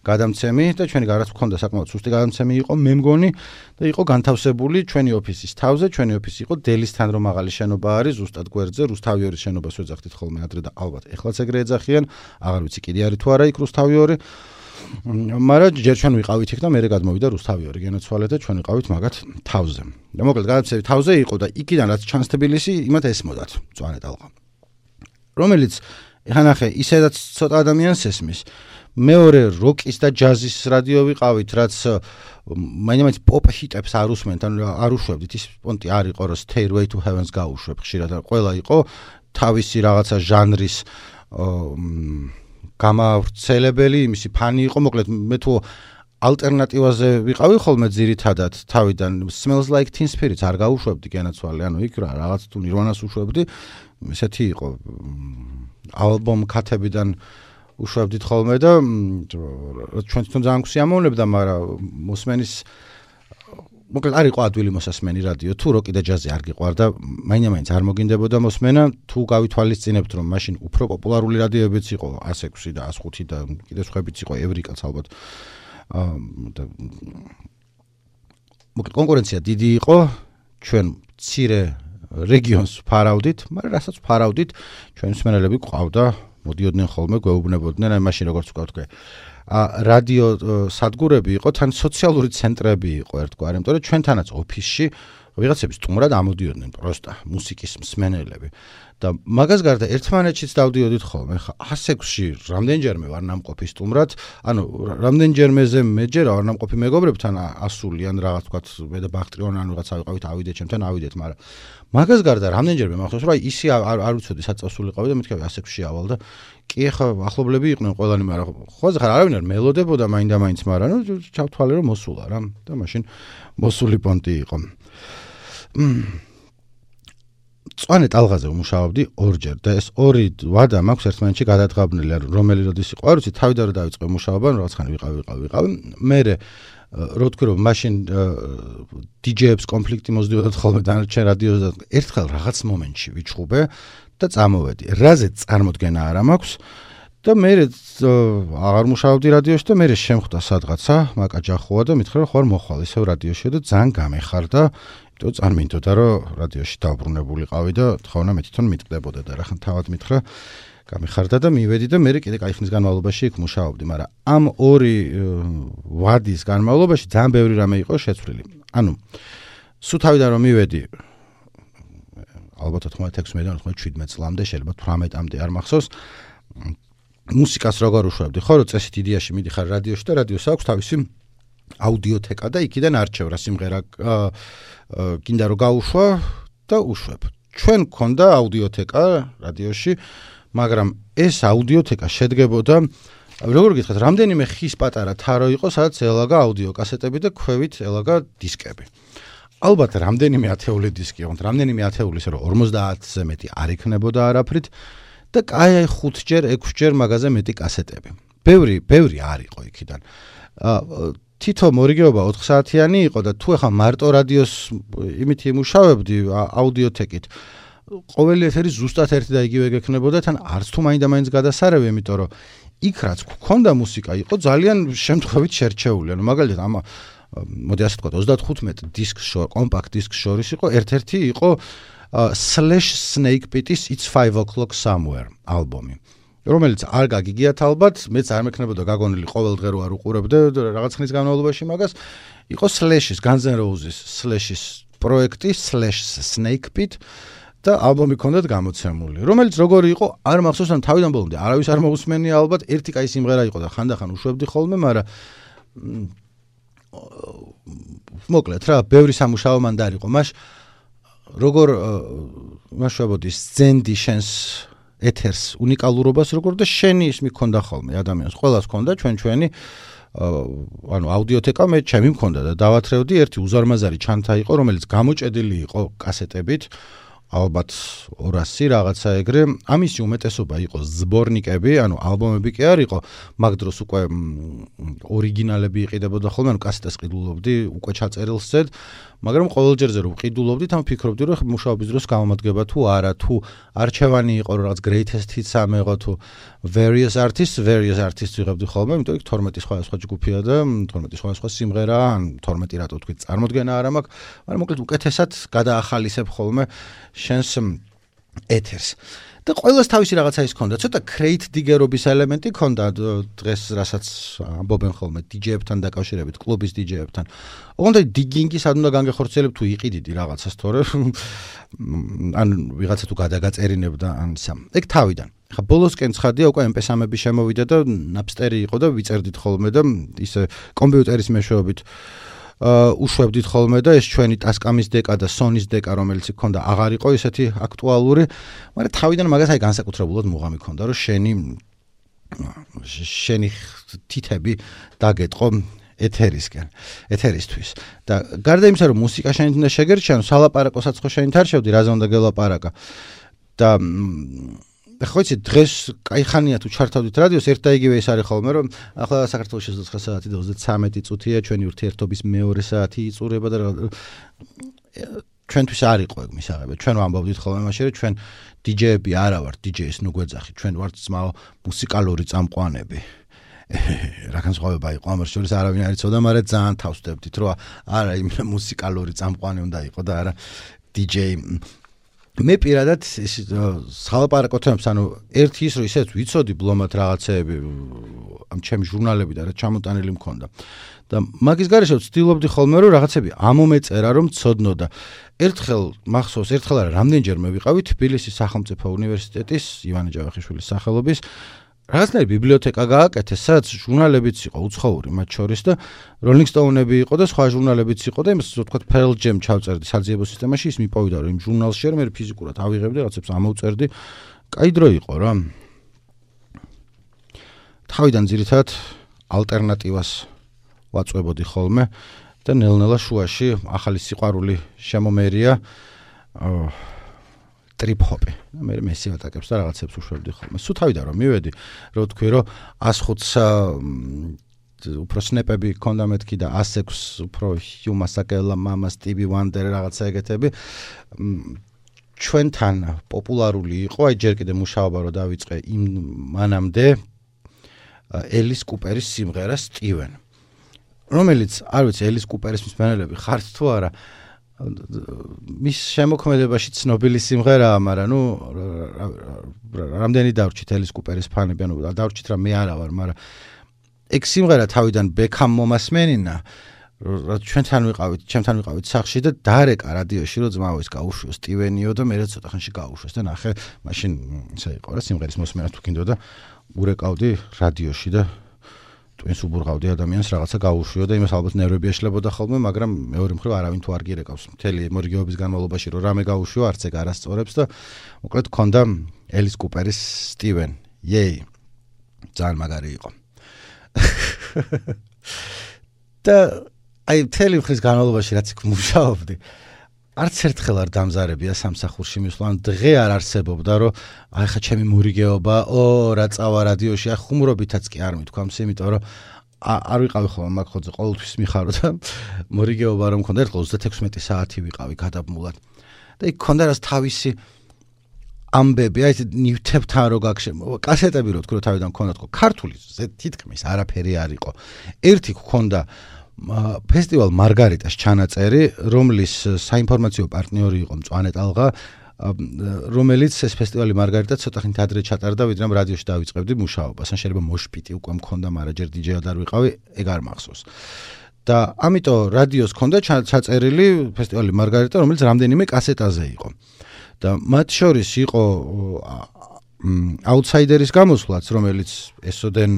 გადამცემი და ჩვენი გარაც ქონდა საკმაოდ სუსტი გადამცემი იყო, მე მგონი და იყო განთავსებული ჩვენი ოფისის თავზე, ჩვენი ოფისი იყო დელისთან რომ მაღალი შენობა არის, ზუსტად გვერდზე, რუსთავიორის შენობას ვეძახდით ხოლმე ადრე და ალბათ ეხლაც ეგრე ეძახიან, აღარ ვიცი კიდე არის თუ არა იქ რუსთავიორი. მაგრამ ჯერ ჩვენ ვიყავით იქ და მერე გადმოვიდა რუსთავიორი გენოცვალე და ჩვენ ვიყავით მაგათ თავზე. და მოკლედ გადამცემი თავზე იყო და იქიდან რაც ჩანს თბილისი, იმათ ესმოდათ მწვანე ტალღა. რომელიც ეხლა ნახე, ისედაც ცოტა ადამიანს ესმის. მეორე როკის და ჯაზის რადიო ვიყავით, რაც მაინც პოპ ჰიტებს არ უსმენთ, ანუ არ უშვებდით, ის პონტი არ იყო, რომ Stairway to Heaven-ს გაუშვებ ხშირად, ყველა იყო თავისი რაღაცა ჟანრის გამავრცელებელი, იმისი ფანი იყო, მოკლედ მე თუ ალტერნატივაზე ვიყავი ხოლმე ძირითადად თავიდან Smells Like Teen Spirit არ გავუშვებდი გენაცვალე, ანუ იქ რაღაც თუ Nirvana-ს უშვებდი, ესეთი იყო ალბომ ქათებიდან უშვებდით ხოლმე და ჩვენ თვითონ ძალიან გვსიამოვნებდა, მაგრამ მოსმენის მოკლედ არ იყო ადვილი მოსასმენი რადიო, თუ როკი და ჯაზი არ გიყვარდა, მაინც არ მოგინდებოდა მოსმენა, თუ გავითვალისწინებთ, რომ მაშინ უფრო პოპულარული რადიოებიც იყო 106 და 105 და კიდევ სხვაებიც იყო, ევრიკაც ალბათ. მოკლედ კონკურენცია დიდი იყო, ჩვენ მცირე რეგიონს ფარავდით, მაგრამ რასაც ფარავდით, ჩვენ მსმენელები ყავდა, მოდიოდნენ ხოლმე, გვეუბნებოდნენ, აი მაშინ როგორც ვთქვი, რადიო სადგურები იყო, თან სოციალური ცენტრები იყო ერთგვარი, იმიტომ რომ ჩვენთანაც ოფისში ვიღაცები სტუმრად ამოდიოდნენ პროსტა მუსიკის მსმენელები და მაგას გარდა ერთმანეთშიც დავდიოდით ხოლმე. ხა 106-ში რამდენჯერმე ვარ ნამყოფი სტუმრად, ანუ რამდენჯერმეზე მეჯერა ვარ ნამყოფი მეგობრებთან ასული ან რაღაც ვთქვათ, მე და ბახტრიონ ან ვიღაცა ვიყავით, ავიდეთ ჩემთან, ავიდეთ, მაგრამ მაგას გარდა რამდენჯერმე მახსოვს, რომ აი ისი არ ვიცოდი საწესულიყავი და მეთქე 106-ში ავალ და კი ახლა ახლობლები იყვნენ ყველანი, მაგრამ ხოზე ხარ არავინ არ მელოდებოდა მაინდა-მაინც, მაგრამ ნუ ჩავთვალე რომ მოსულა რა და მაშინ მოსული პონტი იყო. წვანე ტალღაზე ვმუშაობდი ორჯერ და ეს ორი ვადა მაქვს ერთმანეთში გადადგაბნილი, რომელი როდის იყო, არ ვიცი, თავიდან რა დავიწყე მუშაობა, რაღაც ხანი ვიყავი. მე რო თქვი რომ მაშინ DJ-ებს კონფლიქტი მოსდიოდათ ხოლმე დანარჩენ რადიოზე და ერთხელ რაღაც მომენტში ვიჩხუბე და წამოვედი. რაზე წარმოდგენა არ მაქვს და მე აღარ მუშაობდი რადიოში და მე შემხვდა სადღაცა მაკაჯახოა და მითხრა რომ ხარ მოხვალ ისევ რადიოში და ძალიან გამეხარდა, იმიტომ წარმინდოდა რომ რადიოში დაუბრუნებულიყავი და თხოვნა მე თვითონ მიტკდებოდა და რახან თავად მითხრა გამეხარდა და მივედი და მე კიდე კაი ხნის განმავლობაში იქ მუშაობდი, მაგრამ ამ ორი ვადის განმავლობაში ძალიან ბევრი რამე იყო შეცვლილი. ანუ სულ თავიდან რომ მივედი ალბათ 96-დან 97 წლამდე, შეიძლება 18-მდე არ მახსოვს, მუსიკას როგორ უშვებდი, ხო, რომ წესით იდეაში მიდიხარ რადიოში და რადიოს აქვს თავისი აუდიოთეკა და იქიდან არჩევ რა სიმღერა გინდა რომ გაუშვა და უშვებ. ჩვენ გქონდა აუდიოთეკა რადიოში, მაგრამ ეს აუდიოთეკა შედგებოდა, როგორ გითხრათ, რამდენიმე ხის პატარა თარო იყო, სადაც ელაგა აუდიო კასეტები და ქვევით ელაგა დისკები. ალბათ რამდენიმე ათეული დისკი იყო, რამდენიმე ათეული, ისე რომ 50-ზე მეტი არ იქნებოდა არაფრით და კაი 5-ჯერ, 6-ჯერ მაგაზე მეტი კასეტები. ბევრი არ იყო იქიდან. თითო მორიგეობა 4 საათიანი იყო და თუ ეხა მარტო რადიოს იმით იმუშავებდი აუდიოთეკით, ყოველი ეთერი ზუსტად ერთი და იგივე გექნებოდა, თან არც თუ მაინდა-მაინც გადასარევი, იმიტომ რომ იქ რაც გქონდა მუსიკა იყო ძალიან შემთხვევით შერჩეული. ანუ მაგალითად ამა მოდი ასე ვთქვათ 35 დისკს კომპაქტ დისკს შორის იყო ერთ-ერთი იყო Slash Snake Pit-ის It's 5 O'Clock Somewhere ალბომი, რომელიც არ გაგიგიათ ალბათ, მეც არ მექნებოდა გაგონილი ყოველ დღე რო არ უყურებდე რაღაც ხნის განმავლობაში მაგას, იყო Slash-ის, Guns N' Roses Slash-ის პროექტი Slash Snake Pit და ალბომი ქონდათ გამოცემული, რომელიც როგორი იყო, არ მახსოვს, ან თავიდან ბოლომდე არავის არ მოусმენია ალბათ, ერთი კაი სიმღერა იყო და ხანდახან უშვებდი ხოლმე, მაგრამ მოკლედ რა, ბევრი სამუშაო მან დაარიყო. როგორ მაშვებოდი სცენდი შენს ეთერს უნიკალურობას როგორ და შენი ის მქონდა ხოლმე ადამიანს, ყველას ქონდა ჩვენი ანუ აუდიოთეკა მე ჩემი მქონდა და დავათრევდი ერთი უზარმაზარი ჩანთა იყო, რომელიც გამოჭედილი იყო კასეტებით, ალბათ 200 რაღაცა ეგრე. ამისი უმეტესობა იყო ზბორნიკები, ანუ ალბომები კი არ იყო, მაგ დროს უკვე ორიგინალები იყიდებოდა ხოლმე, ანუ კასეტას ყიდულობდი, უკვე ჩაწერილს წედ, მაგრამ ყოველ ჯერზე რომ ყიდულობდით, ამ ფიქრობდი რომ მუშაობის დროს გამომადგება თუ არა, თუ არჩევანი იყო რომ რაღაც greatest hits ამეღო თუ various artists ვიღებდი ხოლმე, იმიტომ რომ 12 სხვა ჯგუფია და 12 სხვა სიმღერა, ან 12 რატო თქვი წარმოდგენა არ მაქვს, მაგრამ მოკლედ უკეთესად გადაახალისებ ხოლმე შენს ეთერს. და ყველას თავისი რაღაცა ის ქონდა, ცოტა crate digger-ობის ელემენტი ქონდა დღეს, რასაც ამბობენ ხოლმე DJ-ებთან დაკავშირებით, კლუბის DJ-ებთან. ოღონდ digging-ი სად უნდა განგეხორციელებ თუ იყიდიდი რაღაცას, თორე ან ვიღაცა თუ გადაგაწერინებდა ან ისა. ეგ თავიდან. ხა ბოლოსკენ ცხადია უკვე MP3-ები შემოვიდა და Napster-ი იყო და ვიწერდით ხოლმე და ისე კომპიუტერის მეშვეობით უშვებდით ხოლმე და ეს ჩვენი Tascam-ის დეკა და Sony-ის დეკა, რომელიც იქონდა, აღარ იყო ისეთი აქტუალური, მაგრამ თავიდან მაგას აი განსაკუთრებულად მუღამი ქონდა, რომ შენი თითები დაგეტყო ეთერისთვის. და გარდა იმისა, რომ მუსიკა შენ უნდა შეგერჩენო, სალაპარაკოსაც ხო შენ თარშევდი, რაზე უნდა გელაპარაკა. და ხო იცი, დღეს კაი ხანია თუ ჩართავდით რადიოს, ერთ და იგივე ის არის ხოლმე, რომ ახლა საქართველოში 9 საათი და 33 წუთია, ჩვენი ურთიერთობის მეორე საათი იწურება და ჩვენთვის არ იყო ეგ მისაღები. ჩვენ ვამბობდით ხოლმე მაშინ, რომ ჩვენ DJ-ები არა ვართ, DJ-ის ნუ გვეძახი, ჩვენ ვართ ძმაო მუსიკალური წამყვანები. რა განსხვავება იყო ამას შორის არავინ არ იცოდა, მაგრამ ძალიან თავს ვდებდით, რომ არა იმ მუსიკალური წამყვანი უნდა იყო და არა DJ. მე პირადად სალაპარაკო თემებს, ანუ ერთი ის რომ ისეთ ვიცოდი ბლომად რაღაცეები, ამ ჩემი ჟურნალები და რა ჩამოტანილი მქონდა. და მაგის გარეშე ვცდილობდი ხოლმე რომ რაღაცები ამომეწერა რომ ცოდნო და ერთხელ მახსოვს, ერთხელ არა რამდენჯერმე ვიყავი თბილისის სახელმწიფო უნივერსიტეტის ივანე ჯავახიშვილის სახელობის რაღაცნაირი ბიბლიოთეკა გააკეთეს, სადაც ჟურნალებიც იყო უცხოური მათ შორის და Rolling Stone-ები იყო და სხვა ჟურნალებიც იყო და იმას ვთქვათ Pearl Jam ჩავწერდი საძიებო სისტემაში, ის მიპოვიდა რომ იმ ჟურნალში მე ფიზიკურად ავიღებდი, რაღაცებს ამოვწერდი. კაი დრო იყო რა. თავიდან ძირითადად ალტერნატივას ვაწვებოდი ხოლმე და ნელ-ნელა შუაში ახალი სიყვარული შემომერია ტრიპ-ჰოპი. მე მესივატაკებს და რაღაცებს უშვებდი ხოლმე. სულ თავიდან რომ მივედი, რო თქვი რომ 105 უფრო სნეპები ქონდა მეთქი და 106 უფრო ჰიუმა საკელა, მამა, სტივი ვანდერ რაღაცა ეგეთები. ჩვენთან პოპულარული იყო, აი ჯერ კიდე მუშაობა რო დავიწყე იმ მანამდე ელის კუპერის სიმღერა სტივენ. რომელიც არ ვიცი ელის კუპერის მსმენელები ხართ თუ არა მის შემოქმედებაში ცნობილი სიმღერაა, მაგრამ ნუ რამდენი დავრჩით ელის კუპერის ფანები, ანუ დავრჩით რა მე არა ვარ, მაგრამ ეგ სიმღერა თავიდან ბექამ მომასმენინა, ჩვენთან ვიყავით სახლში და დაარეკა რადიოში, რომ ძმაო ის გაუშვო სტივენიო და მე ცოტა ხანში გაუშვეს და ნახე, მაშინ ისე იყო რა სიმღერის მოსმენა თუ გინდოდა, ურეკავდი რადიოში და twins უბურღავდი ადამიანს რაღაცა გაუშვიო და იმას ალბათ ნერვები ეშლებოდა ხოლმე, მაგრამ მეორე მხრივ არავინ თუ არ გირეკავს მთელი მორიგეობის განმავლობაში რომ რამე გაუშვიო, არც ეგ არასწორებს და მოკლედ ქონდა ელის კუპერის სტივენ. იეი. ძალიან მაგარი იყო. და აი მთელი მხრის განმავლობაში რაც იქ მუშაობდი, არც ერთხელ არ დამზარებია სამსახურში მისვლა, დღე არ არსებობდა, რომ აი ხა ჩემი მორიგეობა, რა წავა რადიოში, აი ხუმრობითაც კი არ მithქვამს, იმიტომ რომ არ ვიყავი ხოლმე მაგ ხოძე ყოველთვის მიხარო და მორიგეობა რომ მქონდა, ერთხელ 36 საათი ვიყავი გადაბმულად. და იქ ქონდა რას თავისი ამბები, აი ნივთებთან რო გაგშემო, კასეტები რო თქვი რომ თავიდან მქონდა თქო, ქართული თითქმის არაფერი არ იყო. ერთი გქონდა ფესტივალ მარგარიტას ჩანაწერი, რომლის საინფორმაციო პარტნიორი იყო მწვანე ტალღა, რომელიც ეს ფესტივალი მარგარიტა ცოტა ხნით ადრე ჩატარდა, ვიდრე რადიოში დავიწყებდი მუშაობას. ან შეიძლება მოშპიტი უკვე მქონდა, მაგრამ ჯერ DJ-ად არ ვიყავი, ეგ არ მახსოვს. და ამიტომ რადიოს მქონდა ჩაწერილი ფესტივალი მარგარიტა, რომელიც რამდენიმე კასეტაზე იყო. და მათ შორის იყო აუთსაიდერის გამოსვლაც, რომელიც ესოდენ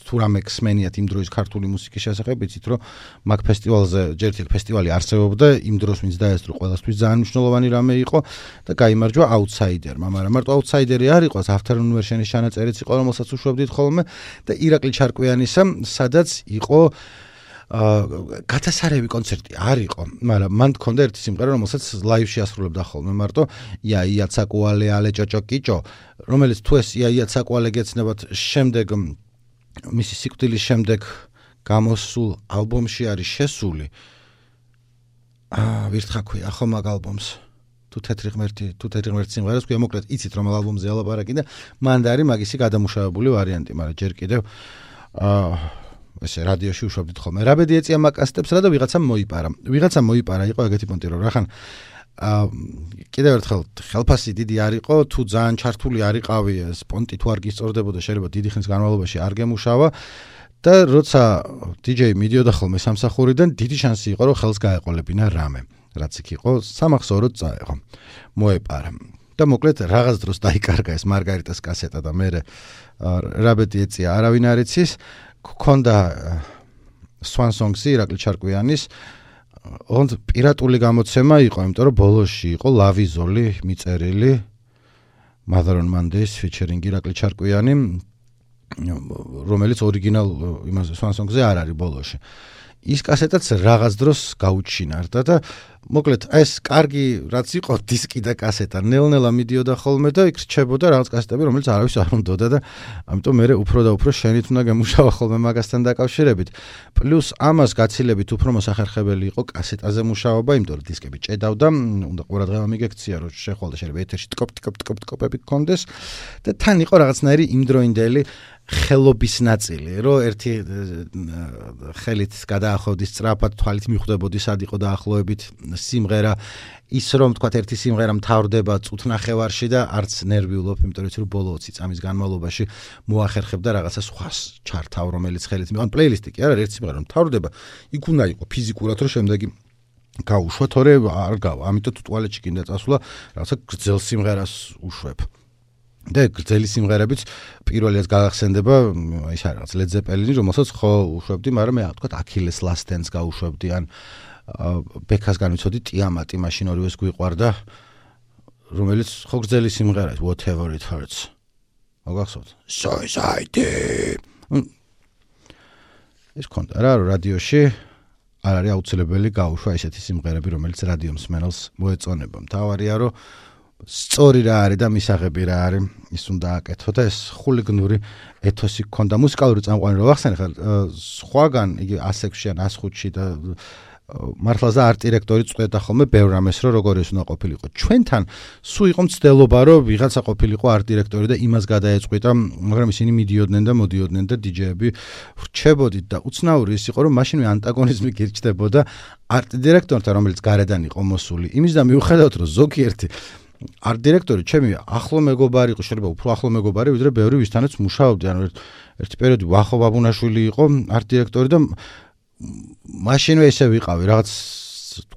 თუ რამე ხსმენიათ იმ დროის ქართული მუსიკის შესახებ, იცით რომ მაგ ფესტივალზე ჯერ ერთ ფესტივალი არსებობდა, იმ დროს ვინც დაესწრო ყველასთვის ძალიან მნიშვნელოვანი რამე იყო და გაიმარჯვა აუთსაიდერმა, მაგრამ მარტო აუთსაიდერი არ იყო, Afternoon Version-ის ჩანაწერიც იყო, რომელსაც უშვებდით ხოლმე და ირაკლი ჩარკვიანისა, სადაც იყო გათასარევი კონცერტი არ იყო, მაგრამ მან მქონდა ერთი სიმღერა, რომელსაც ლაივში ასრულებდა ხოლმე მარტო ია ცაკუალე ალე ჭოჭო კიჭო, რომელიც თუ ეს ია ცაკუალე გეცნებათ შემდეგ მისი სიკვდილის შემდეგ გამოსულ ალბომში არის შესული. ვირთხა ქვია ხო მაგ ალბომს. თუ თეთრი ღმერთი სიმღერას ქვია, მოკლედ იცით რომ ალბომზე ალაპარაკი და მანდ არის მაგისი გადამუშავებული ვარიანტი, მაგრამ ჯერ კიდევ ესე რადიოში უშვებდით ხოლმე. რაბედი ეწია მაკასტებს რა და ვიღაცამ მოიპარა, იყო ეგეთი პონტი რომ რახან კიდევ ერთხელ ხელფასი დიდი არ იყო, თუ ძალიან ჩართული არ იყავი, ეს პონტი თუ არ გისწორდებოდა, შეიძლება დიდი ხნის განმავლობაში არ გემუშავა და როცა DJ მიდიოდა ხოლმე სამსახურიდან, დიდი შანსი იყო რომ ხელს გაეყოლებინა რამე, რაც იქ იყო, სამახსოვროდ წაეღო. მოეპარა. და მოკლედ რაღაც დროს დაიკარგა ეს მარგარიტას კასეტა და მე რაბედი ეწია, არავინ არ იცის. ქონდა Swan Songs-ი ირაკლი ჩარკვიანის ოღონდ პირატული გამოცემა იყო, იმიტომ რომ ბოლოში იყო ლავიზოლი მიწერილი Mother on Mondays featuring ირაკლი ჩარკვიანი რომელიც ორიგინალ იმაზე Swansong-ზე არ არის ბოლოში. ის კასეტაც რაღაც დროს გაუჩინარდა და მოკლედ ეს კარგი რაც იყო დისკი და კასეტა ნელ-ნელა მიდიოდა ხოლმე და იქ რჩებოდა რაღაც კასეტები რომელიც არავის არ უნდოდა და ამიტომ მე უფრო და უფრო შენით უნდა გემუშავა ხოლმე მაგასთან დაკავშირებით პლუს ამას გაცილებით უფრო მოსახერხებელი იყო კასეტაზე მუშაობა იმიტომ რომ დისკები ჭედავდა უნდა ყურადღება მიგექცია რომ შეხვალ და შეიძლება ეთერში ტკოპები გქონდეს და თან იყო რაღაცნაირი იმდროინდელი ხელობის ნაწილი, რომ ერთი ხელით გადაახვევდი სწრაფად, თვალით მიხვდებოდი სად იყო დაახლოებით სიმღერა, ის რომ თქვა ერთი სიმღერა მთავრდება წუთნახევარში და არც ნერვი ვლობ, იმიტომ რომ ბოლო 20 წამის განმავლობაში მოახერხებდა რაღაცა სხვას ჩართავ, რომელიც ხელით მიყან პლეილისტი კი არა, ერთი სიმღერა მთავრდება, იქ უნდა იყო ფიზიკურად, რომ შემდეგი გაუშვა, თორე არ გავა, ამიტომ თუ ტუალეტში გინდა წასვლა, რაღაცა გრძელ სიმღერას უშვებ. და გრძელი სიმღერებიც პირველიაც გაგახსენდება ის არის რაღაც Led Zeppelin-ი რომელსაც ხო უშვებდი, მაგრამ მე თქვა Achilles Last Dance გაუშვებდი ან ბექას განვიცოდი ტიამატი მაშინ ორივეს გვიყვარდა რომელიც ხო გრძელი სიმღერაა Whatever It Hurts მოგახსოვთ Suicide ეს კონდა რა რადიოში არ არის აუცილებელი გაუშვა ესეთი სიმღერები რომელიც რადიო მსმენელს მოეწონება მთავარია რომ სწორი რა არის და მისაღები რა არის ის უნდა აკეთო და ეს ხულიგნური ეთოსი გქონდა მუსიკალური წამყვანი რო ახსენე ხარ სხვაგან იგი 106-ში ან 105-ში და მართლაც არტ დირექტორი წყვეტა ხოლმე ბევრ რამეს რომ როგორ ეს უნდა ყოფილიყო ჩვენთან სულ იყო მცდელობა რომ ვიღაცა ყოფილიყო არტ დირექტორი და იმას გადაეწყვიტა მაგრამ ისინი მიდიოდნენ და მოდიოდნენ და დიჯეები ვრჩებოდით და უცნაური ის იყო რომ მაშინვე ანტაგონიზმი გირჩდებოდა არტ დირექტორთან რომელიც გარედან იყო მოსული იმის და მიუხედავად რომ ზოგიერთი არტ დირექტორი ჩემი ახლო მეგობარი იყო შეიძლება უფრო ახლო მეგობარი ვიდრე ბევრი ვისთანაც მუშაობდი ანუ ერთი პერიოდი ვახო ბაბუნაშვილი იყო არტ დირექტორი და მაშინვე ესე ვიყავი რაღაც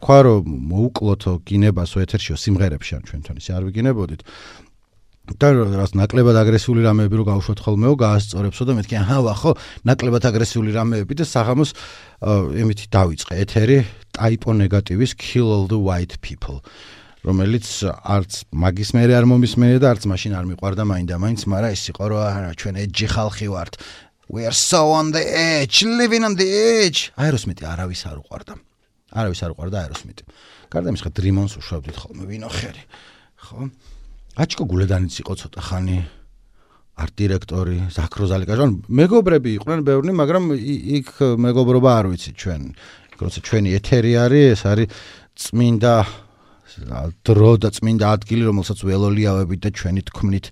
თქვა რომ მოუკლოთო გინებასო ეთერშიო სიმღერებში ან ჩვენთან ისე არ ვიგინებოდით და რაღაც ნაკლებად აგრესიული რამეები რო გავუშვათ ხოლმეო გაასწორებსო და მეთქი აჰა ვახო ნაკლებად აგრესიული რამეები და საღამოს იმითი დავიწყე ეთერი ტაიპო ნეგატივის Kill All the White People რომელიც არც მაგის მერე არ მომისმენია და არც მაშინ არ მიყვარდა მაინდა-მაინც, მაგრამ ის იყო რომ არა ჩვენ ეჯი ხალხი ვართ. We are so on the edge, living on the edge. აეროსმიტი არავის არ უყვარდა. არავის არ უყვარდა აეროსმიტი. გარდა იმისა, დრიმონს უშვებდით ხოლმე ვინო ხერი. ხო? აჩკო გულედანიც იყო ცოტა ხანი არტ დირექტორი, ზაქროზალი კაჟან, მეგობრები იყვნენ ბევრნი, მაგრამ იქ მეგობრობა არ ვიცი ჩვენ. როცა ჩვენი ეთერი არის, ეს არის წმინდა დრო და წმინდა ადგილი, რომელსაც ველოლიავებით და ჩვენი თქმით.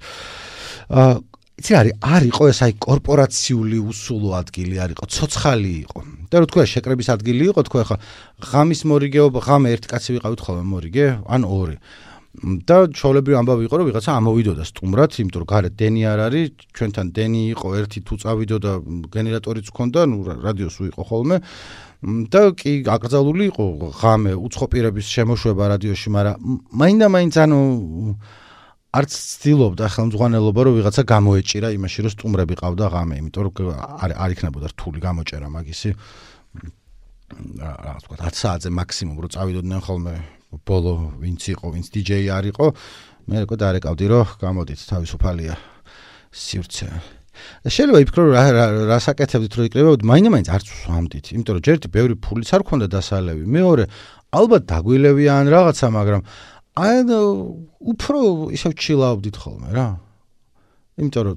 იცი არ იყო ეს აი კორპორაციული უსულო ადგილი არ იყო, ცოცხალი იყო. და რო თქვა შეკრების ადგილი იყო, თქვა ხა ღამის მორიგეობა, ღამე ერთი კაცი ვიყავით ხოლმე მორიგე, ან ორი. და ჩოვლებრივ ამბავი იყო, რომ ვიღაცა ამოვიდოდა სტუმრად, იმიტომ რომ გარეთ დენი არ არის, ჩვენთან დენი იყო, ერთი თუ წავიდოდა გენერატორიც ჰქონდა, ნუ რადიოს უიყო ხოლმე. და კი აკრძალული იყო ღამე უცხო პირების შემოშვება რადიოში, მაგრამ მაინდა-მაინც ანუ არც ცდილობდა ხელმძღვანელობა რომ ვიღაცა გამოეჭირა იმაში რომ სტუმრები ყავდა ღამე, იმიტომ რომ არ იქნებოდა რთული გამოჭერა მაგისი. რა თქვა 10 საათზე მაქსიმუმ რომ წავიდოდნენ ხოლმე ბოლო ვინც იყო, ვინც დიჯეი არ იყო, მე როგორ დარეკავდი რომ გამოდით თავისუფალია სივრცე. შეიძლება იფიქრო რა საკეთებდით რომ იკრებებოდ, მაინდა-მაინც არც ვსვამდით, იმიტომ რომ ჯერტი ბევრი ფულიც არ ქონდა დასალევი. მეორე, ალბათ დაგვილევია ან რაღაცა, მაგრამ აი უფრო ისევ ჩილაობდით ხოლმე რა. იმიტომ რომ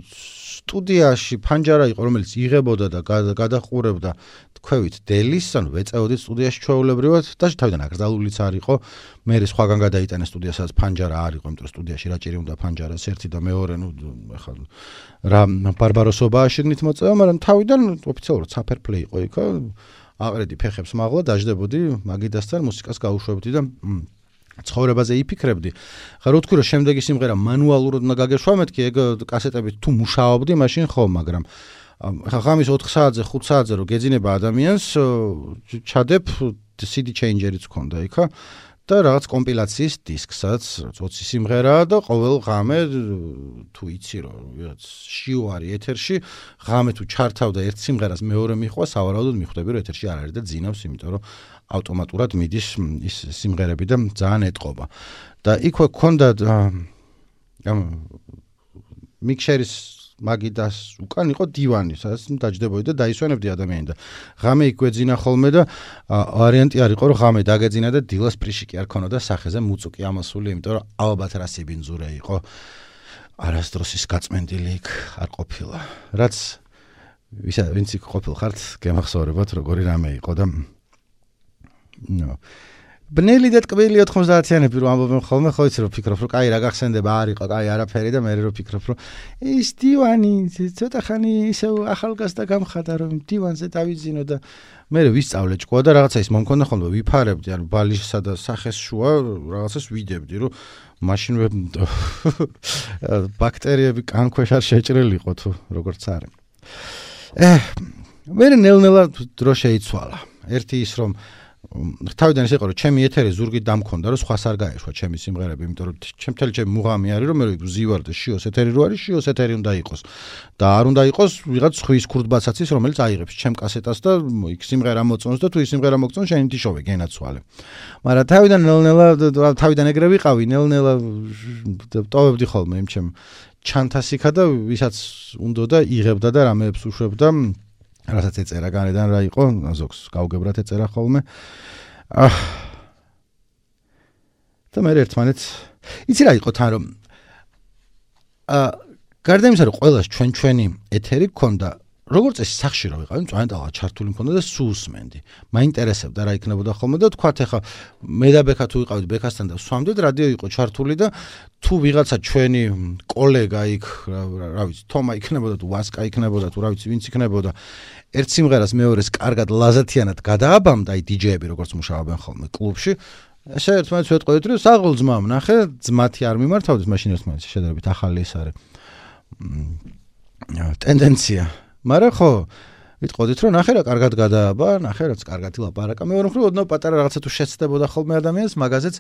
სტუდიაში ფანჯარა იყო, რომელიც იღებოდა და გადაყურებდა თქვევით დელის, ანუ ვეწეოდით სტუდიაში ჩვეულებრივად და თავიდან აკრძალულიც არ იყო. მე სხვაგან გადაიტანე სტუდიასაც ფანჯარა არ იყო, იმიტომ რომ სტუდიაში რა ჭირი უნდა ფანჯარას ერთი და მეორე, ნუ ეხლა რა ბარბაროსობა აშენით მოწევა, მაგრამ თავიდან ოფიციალურად საფერფლეი იყო იქ. აყრედი ფეხებს მაღლა, დაждდებოდი მაგიდასთან მუსიკას გაუშვებდი და ცხოვრებაზე იფიქრებდი. ხა რო თქვი რომ შემდეგი სიმღერა მანუალურად უნდა გაგეშვა, მეთქი ეგ კასეტებით თუ მუშაობდი, მაშინ ხო, მაგრამ ხა ღამის 4 საათზე, 5 საათზე რო გეძინება ადამიანს, ჩადებ CD changer-იც ქონდა იქა და რაღაც კომპილაციის დისკსაც, 20 სიმღერაა და ყოველ ღამე თუ იცი რომ ვიღაც შიო არის ეთერში, ღამე თუ ჩართავდა ერთ სიმღერას მეორე მიხვა, სავარაუდოდ მიხვდები რომ ეთერში არ არის და ძინავს, იმიტომ რომ ავტომატურად მიდის ის სიმღერები და ძალიან ეტყობა. და იქვე გქონდა მიქსერის მაგიდას უკან იყო დივანი, სადაც დაჯდებოდი და დაისვენებდი ადამიანი და ღამე იგვეძინა ხოლმე და ვარიანტი არ იყო რომ ღამე დაგეძინა და დილას პრიშიკი არ ქონოდა სახეზე მუწუკი ამასული, იმიტომ რომ ალბათ რა სიბინძურე იყო. არასდროს ის გაწმენდილი იქ არ ყოფილა. რაც ვინც იქ ყოფილ ხართ, გემახსოვრებათ როგორი რამე იყო და ბნელი და ტკბილი 90-იანები რომ ამბობენ ხოლმე, ხო იცი რომ ფიქრობ რომ კაი რა გახსენდება, არ იყო კაი არაფერი და მე რომ ფიქრობ რომ ის დივანი ცოტა ხანი ისევ ახალგაზრდა გამხადა რომ დივანზე დავიძინო და მე ვისწავლე ჭკუა და რაღაცა ის მომქონდა ხოლმე ვიფარებდი, ანუ ბალიშსა და სახეს შუა რაღაცას ვიდებდი რომ მაშინ ბაქტერიები კანქვეშ არ შეჭრილიყო თუ როგორც არის. მე ნელ-ნელა დრო შეიცვალა. ერთი ის რომ თავიდან ის იყო რომ ჩემი ეთერი ზურგით დამქონდა რომ სხვას არ გაეშვა ჩემი სიმღერები, იმიტომ რომ ჩემი მუღამი არის რომ მე ვზივარ და შიოს ეთერი რო არის, შიოს ეთერი უნდა იყოს და არ უნდა იყოს ვიღაც ხვის ქურდბაცაცის რომელიც აიღებს ჩემ კასეტას და იქ სიმღერა მოწონს და თუ ის სიმღერა მოგწონს შენ ითიშოვე გენაცვალე. მაგრამ თავიდან ნელ-ნელა თავიდან ეგრე ვიყავი, ნელ-ნელა ტოვებდი ხოლმე იმ ჩემ ჩანთასიქა და ვისაც უნდა და იღებდა და რამეებს უშვებდა. რასაც ეწერა განედან რა იყო, ზოგს გავგებრათ ეწერა ხოლმე. და მე ერთმანეთს იცი რა იყო თან რომ გარდა იმისა რომ ყველას ჩვენი ეთერი გქონდა, როგორც ეს სახში რო ვიყავი, მწვანეტალა ჩართული მქონდა და სულ სმენდი. მაინტერესებდა რა იქნებოდა ხოლმე და თქვათ ეხა მე და ბექა თუ ვიყავით ბექასთან და სვამდით რადიო იყო ჩართული და თუ ვიღაცა ჩვენი კოლეგა იქ რა ვიცი თომა იქნებოდა თუ ვასკა იქნებოდა თუ რა ვიცი ვინც იქნებოდა ერთ სიმღერას მეორეს კარგად ლაზათიანად გადააბამდა აი დიჯეები როგორც მუშაობენ ხოლმე კლუბში ესე ერთმანეთს ვეტყოდით რომ საღოლ ძმამ ნახე ძმათი არ მიმართავდეს მაშინ ერთმანეთს შედარებით ახალი ეს არის ტენდენცია მაგრამ ხო ვიტყოდით რომ ნახე რა კარგად გადააბა ნახე რაც კარგად ილაპარაკა მეორე მხრივ ოდნავ პატარა რაღაცა თუ შეცდებოდა ხოლმე ადამიანს მაგაზეც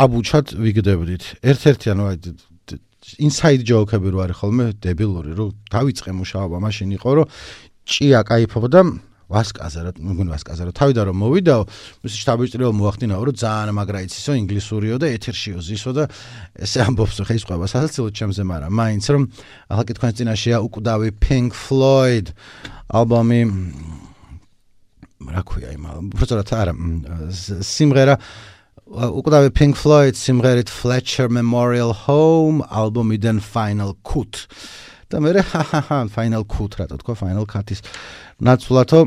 აბუჩად ვიგდებდით ერთ-ერთი ანუ აი inside joke-ები რო არის ხოლმე დებილური რომ დავიწყე მუშაობა მაშინ იყო რომ ჭია кайფობდა ვასკაზე რა მგონი ვასკაზე რა თავიდან რომ მოვიდაო მისი შტაბიჭრიო მოახდინაო რომ ძალიან მაგრა იცისო ინგლისურიო და ეთერშიო ზისო და ესე ამბობს ხე ის ყובה სასაცილო ჩემზე მაგრამ მაინც რომ ახლა კითხვას წინაშეა უკვდავი Pink Floyd ალბომი რა ქვია იმ უბრალოდ არა სიმღერა უკვე Pink Floyd სიმღერით Fletcher Memorial Home ალბომიდან Final Cut და მე Final Cut რა თქვა Final Cut-ის ნაცვლათო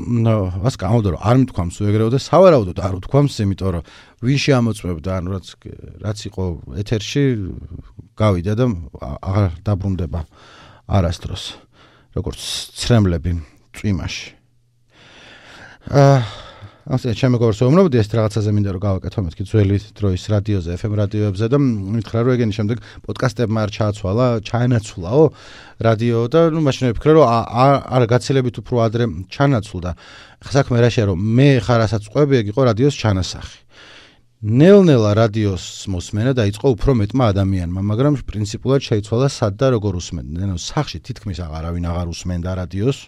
ვას გამოდო რომ არ მithქვამს უეგრეო და სავარაუდოდ არ ვთქვამს იმიტომ რომ ვინ შეამოწმებდა ანუ რაც იყო ეთერში გავიდა და აღარ დაბრუნდება არასდროს როგორც ცრემლები წვიმაში ასე ჩემ მეგობრს ვუმნობდი ეს რაღაცაზე მინდა რომ გავაკეთო მეთქი ძველი დროის რადიოზე FM რადიოებზე და მითხრა რომ ეგენი შემდეგ პოდკასტებმა არ ჩაანაცვლაო რადიო და ნუ მაშინ ვფიქრე რომ არ გაცილებით უფრო ადრე ჩანაცვლდა ხა საქმე რა შეა რომ მე ხარ ასაც ყვები ეგ იყო რადიოს ჩანასახი ნელ-ნელა რადიოს მოსმენა დაიწყო უფრო მეტმა ადამიანმა მაგრამ პრინციპულად შეიცვალა სად და როგორ უსმენდნენ ანუ სახში თითქმის აღარავინ აღარ უსმენდა რადიოს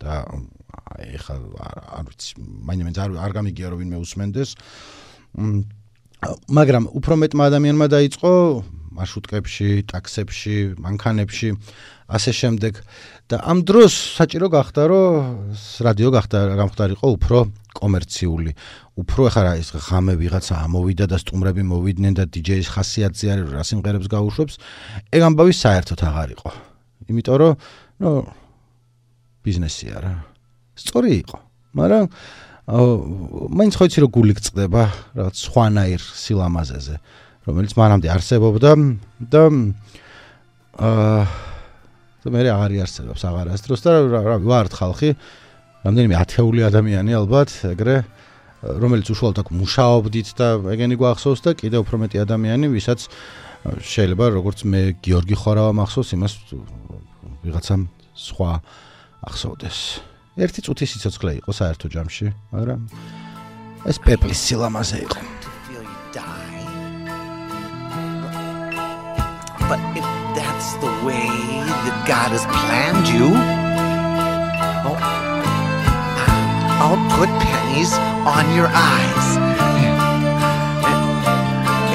და ეხლა არ ვიცი მაინც არ გამიგია რომ ვინმე უსმენდეს მაგრამ უფრო მეტმა ადამიანმა დაიწყო მარშრუტკებში, ტაქსებში, მანქანებში ასე შემდეგ და ამ დროს საჭირო გახდა რომ რადიო გამხდარიყო უფრო კომერციული უფრო ეხლა ის ღამე ვიღაცა ამოვიდა და სტუმრები მოვიდნენ და დიჯეის ხასიათზე არის რა სიმღერებს გაუშვებს ეგ ამბავი საერთოდ აღარ იყო იმიტომ რომ ნუ ბიზნესი არა სწორი იყო, მაგრამ მაინც ხო იცი რომ გული გწყდება რაღაც სხვანაირ სილამაზეზე, რომელიც მანამდე არსებობდა და მე აღარ იარსებობს აღარასდროს და რა ვართ ხალხი, რამდენიმე ათეული ადამიანი ალბათ, ეგრე რომელიც უშუალოდ აქ მუშაობდით და ეგენი გვახსოვს და კიდევ უფრო მეტი ადამიანი, ვისაც შეიძლება როგორც მე გიორგი ხორავა მახსოვს, იმას ვიღაცამ სხვა ახსოვდეს. ერთი წუთის სიცოცხლე იყო საერთო ჯამში, მაგრამ ეს პეპლის სილამაზე იყო. But if that's the way that God has planned you, I'll put pennies on your eyes.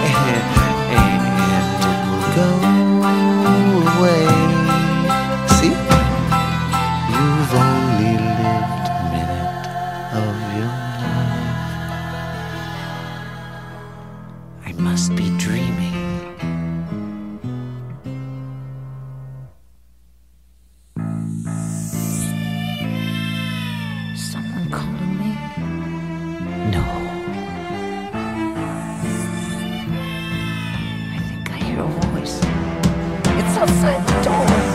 And it will go away. dreaming. Someone calling me? No. I think I hear a voice. It's outside the door.